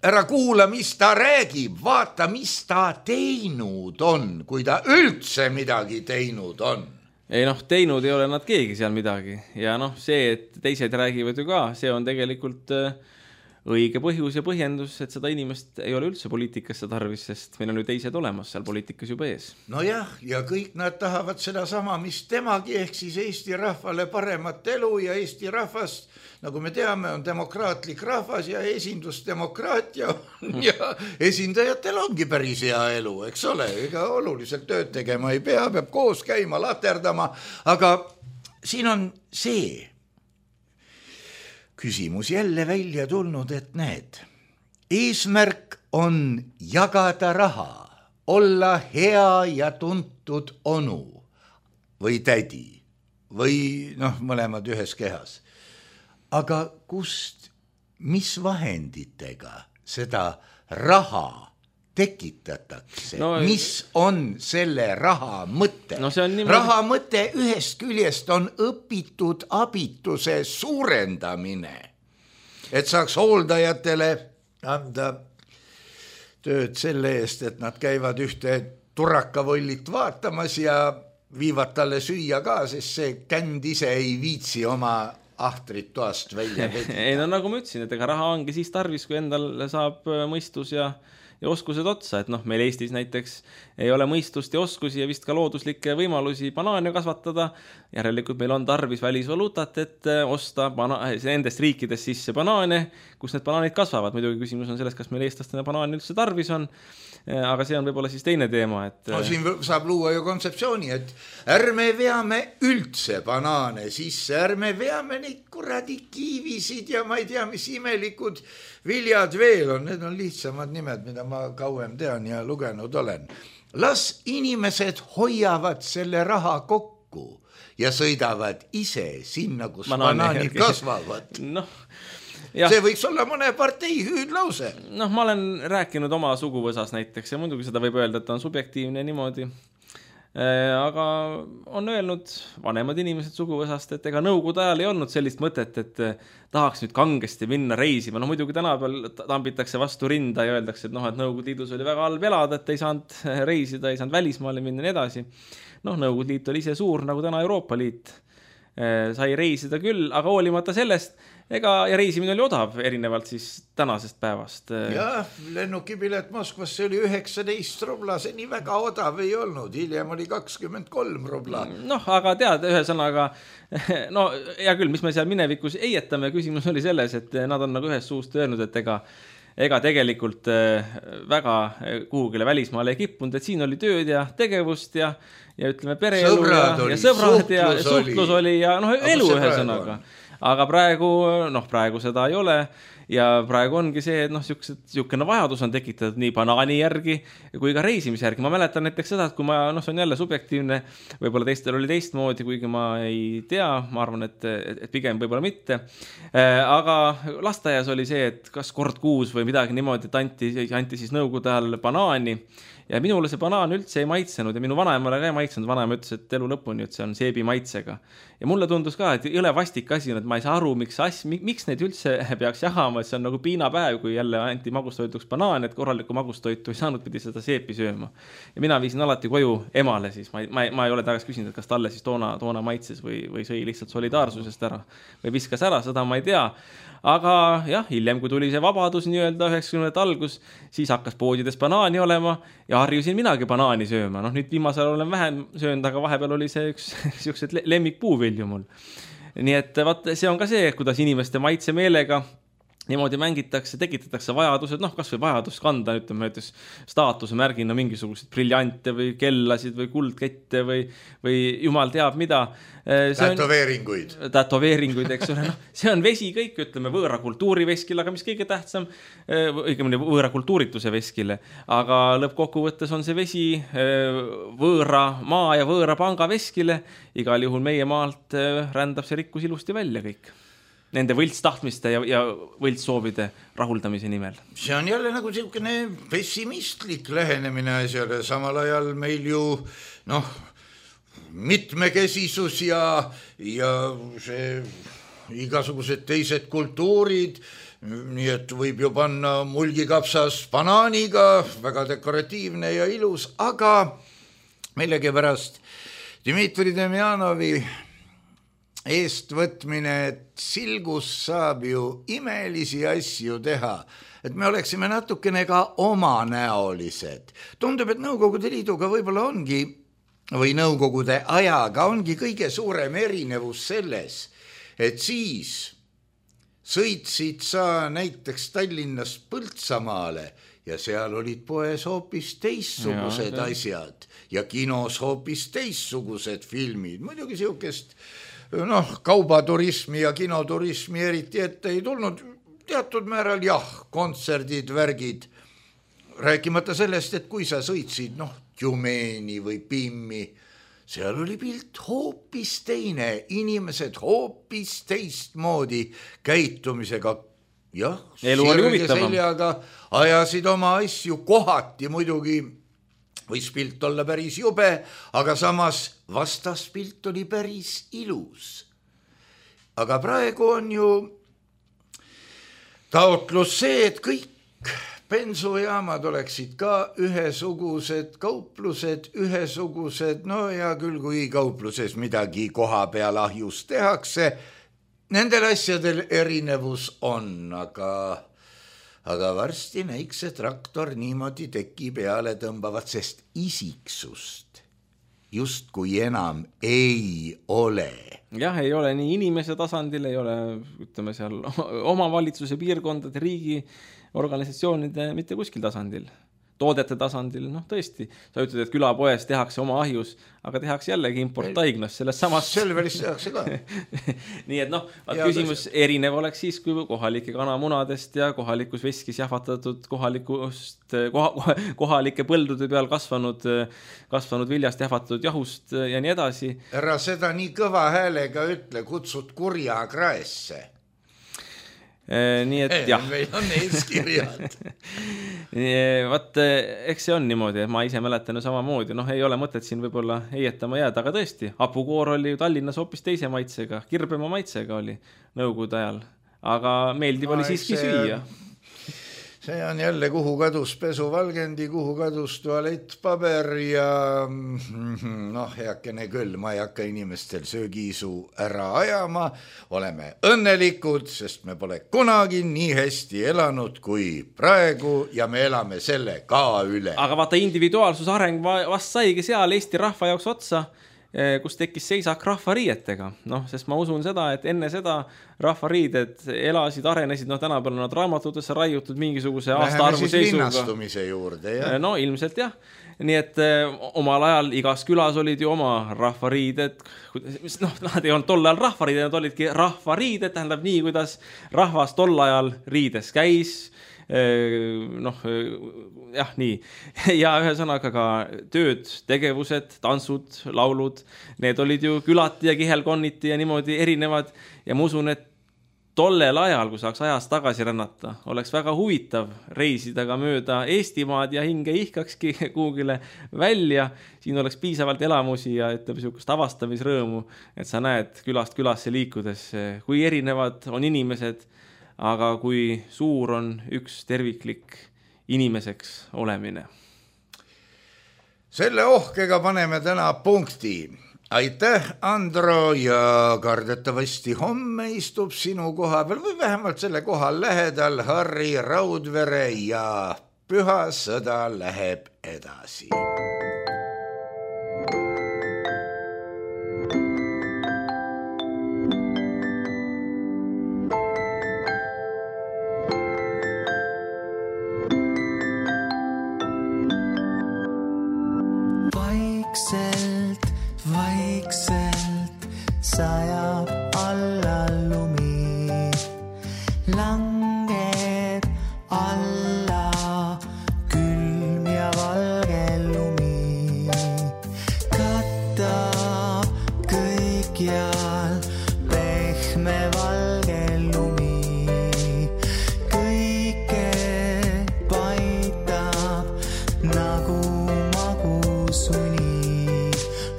ära kuula, mis ta räägib, vaata, mis ta teinud on, kui ta üldse midagi teinud on.
Ei teinud ei ole nad keegi seal midagi ja see, et teised räägivad ju ka, see on tegelikult õige põhjus ja põhjendus, et seda inimest ei ole üldse poliitikasse tarvis, sest meil on ju teised olemas seal poliitikas juba ees.
Nojah, ja kõik nad tahavad seda sama, mis temagi, ehk siis Eesti rahvale paremat elu ja Eesti rahvast, nagu me teame, on demokraatlik rahvas ja esindusdemokraatia ja esindajatel ongi päris hea elu, eks ole, ega oluliselt tööd tegema ei pea, peab koos käima, laterdama, aga siin on see küsimus jälle välja tulnud, et näed, eesmärk on jagada raha, olla hea ja tuntud onu või tädi või mõlemad ühes kehas. Aga kust, mis vahenditega seda raha tekitatakse? Mis on selle raha mõte? Raha mõte ühest küljest on õpitud abituse suurendamine, et saaks hooldajatele anda tööd selle eest, et nad käivad ühte turakavollit vaatamas ja viivad talle süüa ka, sest see känd ise ei viitsi oma ahtrit toast välja vedida.
Ei, nagu ma ütlesin, et ega raha ongi siis tarvis, kui endal saab mõistus ja oskused otsa, et meil Eestis näiteks ei ole mõistust ja oskusi ja vist ka looduslikke võimalusi banaane kasvatada. Järelikult meil on tarvis välisvaluutat, et osta nendest riikidest sisse banaane, kus need banaanid kasvavad. Muidugi küsimus on selles, kas meil eestlastena banaani üldse tarvis on, aga see on võib-olla siis teine teema.
Siin saab luua ju kontseptsiooni, et ärme veame üldse banaane sisse, ärme veame neid kuradi kiivisid ja ma ei tea, mis imelikud viljad veel on, need on lihtsamad nimed, mida ma kauem tean ja lugenud olen. Las inimesed hoiavad selle raha kokku ja sõidavad ise sinna, kus banaanid kasvavad. See võiks olla mõne partei hüüdlause.
Ma olen rääkinud oma suguvõsas näiteks ja muidugi seda võib öelda, et on subjektiivne niimoodi. Aga on öelnud vanemad inimesed suguvõsast, et ega nõukogude ajal ei olnud sellist mõtet, et tahaks nüüd kangesti minna reisima. Muidugi tänapäeval tambitakse vastu rinda ja öeldakse, et Nõukogude Liidus oli väga halb elada, et ei saanud reisida, ei saanud välismaale minna ja nii edasi. Nõukogude Liit oli ise suur, nagu täna Euroopa Liit. Sai reisida küll, aga hoolimata sellest, ja reisimine oli odav, erinevalt siis tänasest päevast.
Jah, lennukipilet Moskvasse oli 19 rubla, see nii väga odav ei olnud, hiljem oli 23 rubla.
Aga tead, ühesõnaga, hea küll, mis me seal minevikus eietame, küsimus oli selles, et nad on nagu ühes suust öelnud, et ega tegelikult väga kuhugile välismaale ei kippunud, et siin oli tööd ja tegevust ja ütleme pereelu ja sõbrad ja suhtlus oli ja elu ühesõnaga. Aga praegu seda ei ole ja praegu ongi see, et siukene vajadus on tekitatud nii banaani järgi kui ka reisimise järgi. Ma mäletan näiteks seda, et kui ma, see on jälle subjektiivne, võib-olla teistel oli teistmoodi, kuigi ma ei tea, ma arvan, et pigem võib-olla mitte. Aga lasteaias oli see, et kas kord kuus või midagi niimoodi, et anti siis nõukogude ajal banaani. Ja minule see banaan üldse ei maitsenud ja minu vanaemale ka ei maitsenud. Vanaema ütles, et elu lõpuni, et see on seebi maitsega. Ja mulle tundus ka, et jõle vastik asi on, et ma ei saa aru, miks neid üldse peaks jagama, et see on nagu piinapäev, kui jälle anti magustoituks banaan, et korralikku magustoitu ei saanud, pidi seda seepi sööma. Ja mina viisin alati koju emale siis. Ma ei ole tagasi küsinud, et kas talle siis toona maitses või sõi lihtsalt solidaarsusest ära või viskas ära, seda ma ei tea. Aga jah, hiljem, kui tuli see vabadus nii-öelda 90. algus, siis hakkas poodides banaani olema ja harjusin minagi banaani sööma. Nüüd viimasel olen vähem söönud, aga vahepeal oli see üks siuksed lemmikpuuvilju mul. Nii et see on ka see, kuidas inimeste maitsemeelega niimoodi mängitakse, tekitatakse vajadused, noh, kas või vajadus kanda, ütleme näiteks staatuse märgina mingisuguseid briljante või kellasid või kuldkette või jumal teab mida. Tätoveeringuid, eks ole. No, see on vesi kõik, ütleme, võõra kultuuri veskile, aga mis kõige tähtsam, õigemini võõra kultuurituse veskile, aga lõppkokkuvõttes on see vesi võõra maa ja võõra panga veskile, igal juhul meie maalt rändab see rikkus ilusti välja kõik. Nende võltstahtmiste ja võltssoovide rahuldamise nimel.
See on jälle nagu selline pessimistlik lähenemine asjale, samal ajal meil ju mitmekesisus ja see igasugused teised kultuurid, nii et võib ju panna mulgikapsas banaaniga, väga dekoratiivne ja ilus, aga millegipärast Dmitri Demjanovi eestvõtmine, et silgus saab ju imelisi asju teha, et me oleksime natukene ka omanäolised. Tundub, et Nõukogude Liiduga võib-olla ongi, või Nõukogude ajaga ongi kõige suurem erinevus selles, et siis sõitsid sa näiteks Tallinnast Põltsamaale ja seal olid poes hoopis teissugused asjad ja kinos hoopis teissugused filmid. Muidugi siukest kaubaturismi ja kinoturismi eriti ette ei tulnud, teatud määral kontserdid, värgid, rääkimata sellest, et kui sa sõitsid Tjumeeni või Pimmi, seal oli pilt hoopis teine, inimesed hoopis teistmoodi käitumisega, sirge seljaga ajasid oma asju kohati muidugi, võis pilt olla päris jube, aga samas vastaspilt oli päris ilus. Aga praegu on ju taotlus see, et kõik bensujaamad oleksid ka ühesugused, kauplused ühesugused, ja küll kui kaupluses midagi koha peal ahjus tehakse, nendel asjadel erinevus on, aga varsti näiks see traktor niimoodi teki peale tõmbavat, sest isiksust just kui enam ei ole.
Jah, ei ole nii inimese tasandil, ei ole, ütleme seal omavalitsuse piirkondade, riigi organisatsioonide mitte kuskil tasandil. Toodete tasandil, tõesti, sa ütled, et külapoes tehakse oma ahjus, aga tehakse jällegi importtaignas sellest samast.
Selveris tehakse ka.
Nii et küsimus erinev oleks siis, kui kohalike kanamunadest ja kohalikus veskis jahvatatud kohalike põldude peal kasvanud viljast jahvatatud jahust ja nii edasi.
Ära seda nii kõva häälega ütle, kutsud kurja kraesse.
Nii et jah.
Meil on eeskirjad.
Vaat, eks see on niimoodi, ma ise mäletan ju samamoodi, ei ole mõtet siin võib-olla heietama jääda, aga tõesti, hapukoor oli ju Tallinnas hoopis teise maitsega, kirbema maitsega oli Nõukogude ajal, aga meeldib oli siiski süüa.
See on jälle, kuhu kadus pesuvalgendi, kuhu kadus tualettpaber ja heakene küll, ma ei hakka inimestel söögiisu ära ajama, oleme õnnelikud, sest me pole kunagi nii hästi elanud kui praegu ja me elame selle ka üle.
Aga vaata, individuaalsus areng vast saigi seal Eesti rahva jaoks otsa, kus tekkis seisak rahvariietega. Sest ma usun seda, et enne seda rahvariided elasid, arenesid, tänapäeval nad raamatutesse raiutud mingisuguse aastaarvu seisuga.
Läheme siis linnastumise juurde, jah?
Ilmselt jah. Nii et omal ajal igas külas olid ju oma rahvariided, nad ei olnud tol ajal rahvariided, nad olidki rahvariided, tähendab nii, kuidas rahvas tol ajal riides käis, nii. Ja ühesõnaga ka tööd, tegevused, tantsud, laulud, need olid ju külati ja kihelkonniti ja niimoodi erinevad ja ma usun, et tollel ajal, kui saaks ajast tagasi rännata, oleks väga huvitav reisida ka mööda Eestimaad ja hinge ihkakski kuhugile välja. Siin oleks piisavalt elamusi ja sihukest avastamisrõõmu, et sa näed külast külasse liikudes, kui erinevad on inimesed, aga kui suur on üks terviklik inimeseks olemine.
Selle ohkega paneme täna punkti. Aitäh, Andro, ja kardetavasti homme istub sinu koha peal või vähemalt selle koha lähedal Harri Raudvere ja püha sõda läheb edasi.
vaikselt sajab alla lumi, langeb alla külm ja valge lumi, katab kõikjal pehme valge lumi, kõike paitab nagu magusuni.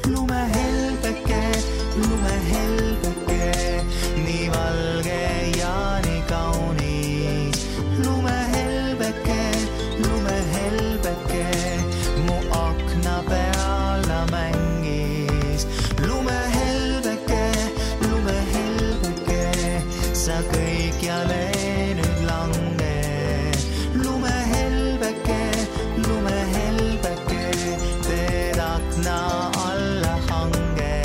Lumehelbeke, nii valge ja nii kaunis. Lumehelbeke, mu akna peal ta mängis. Lumehelbeke, sa kõikjale nüüd lange. Lumehelbeke, teed akna alla hange.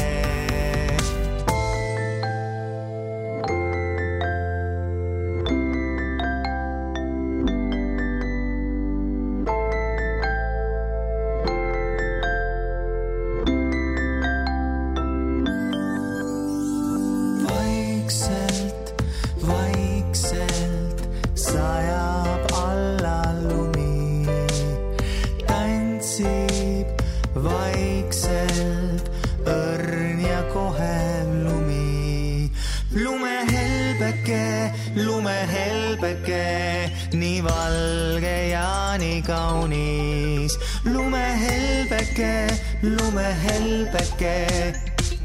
Vaikselt sajab alla lumi, tantsib vaikselt õrn ja kohev lumi. Lumehelbeke, nii valge ja nii kaunis. Lumehelbeke,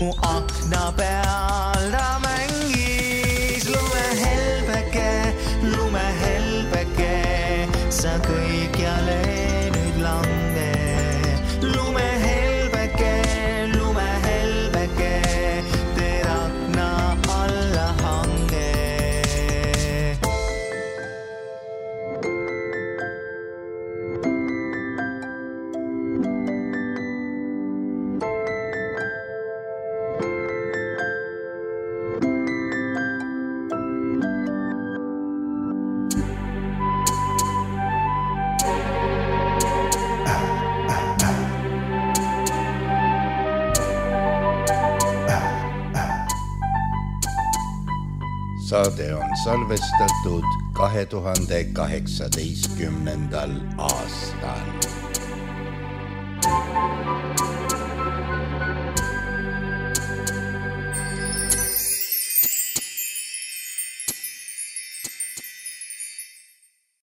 mu akna peal ta mängis. Lumehelbeke, sa kõikjale nüüd lange. Lumehelbeke, teed akna alla hange.
Saade on salvestatud 2018. aastal.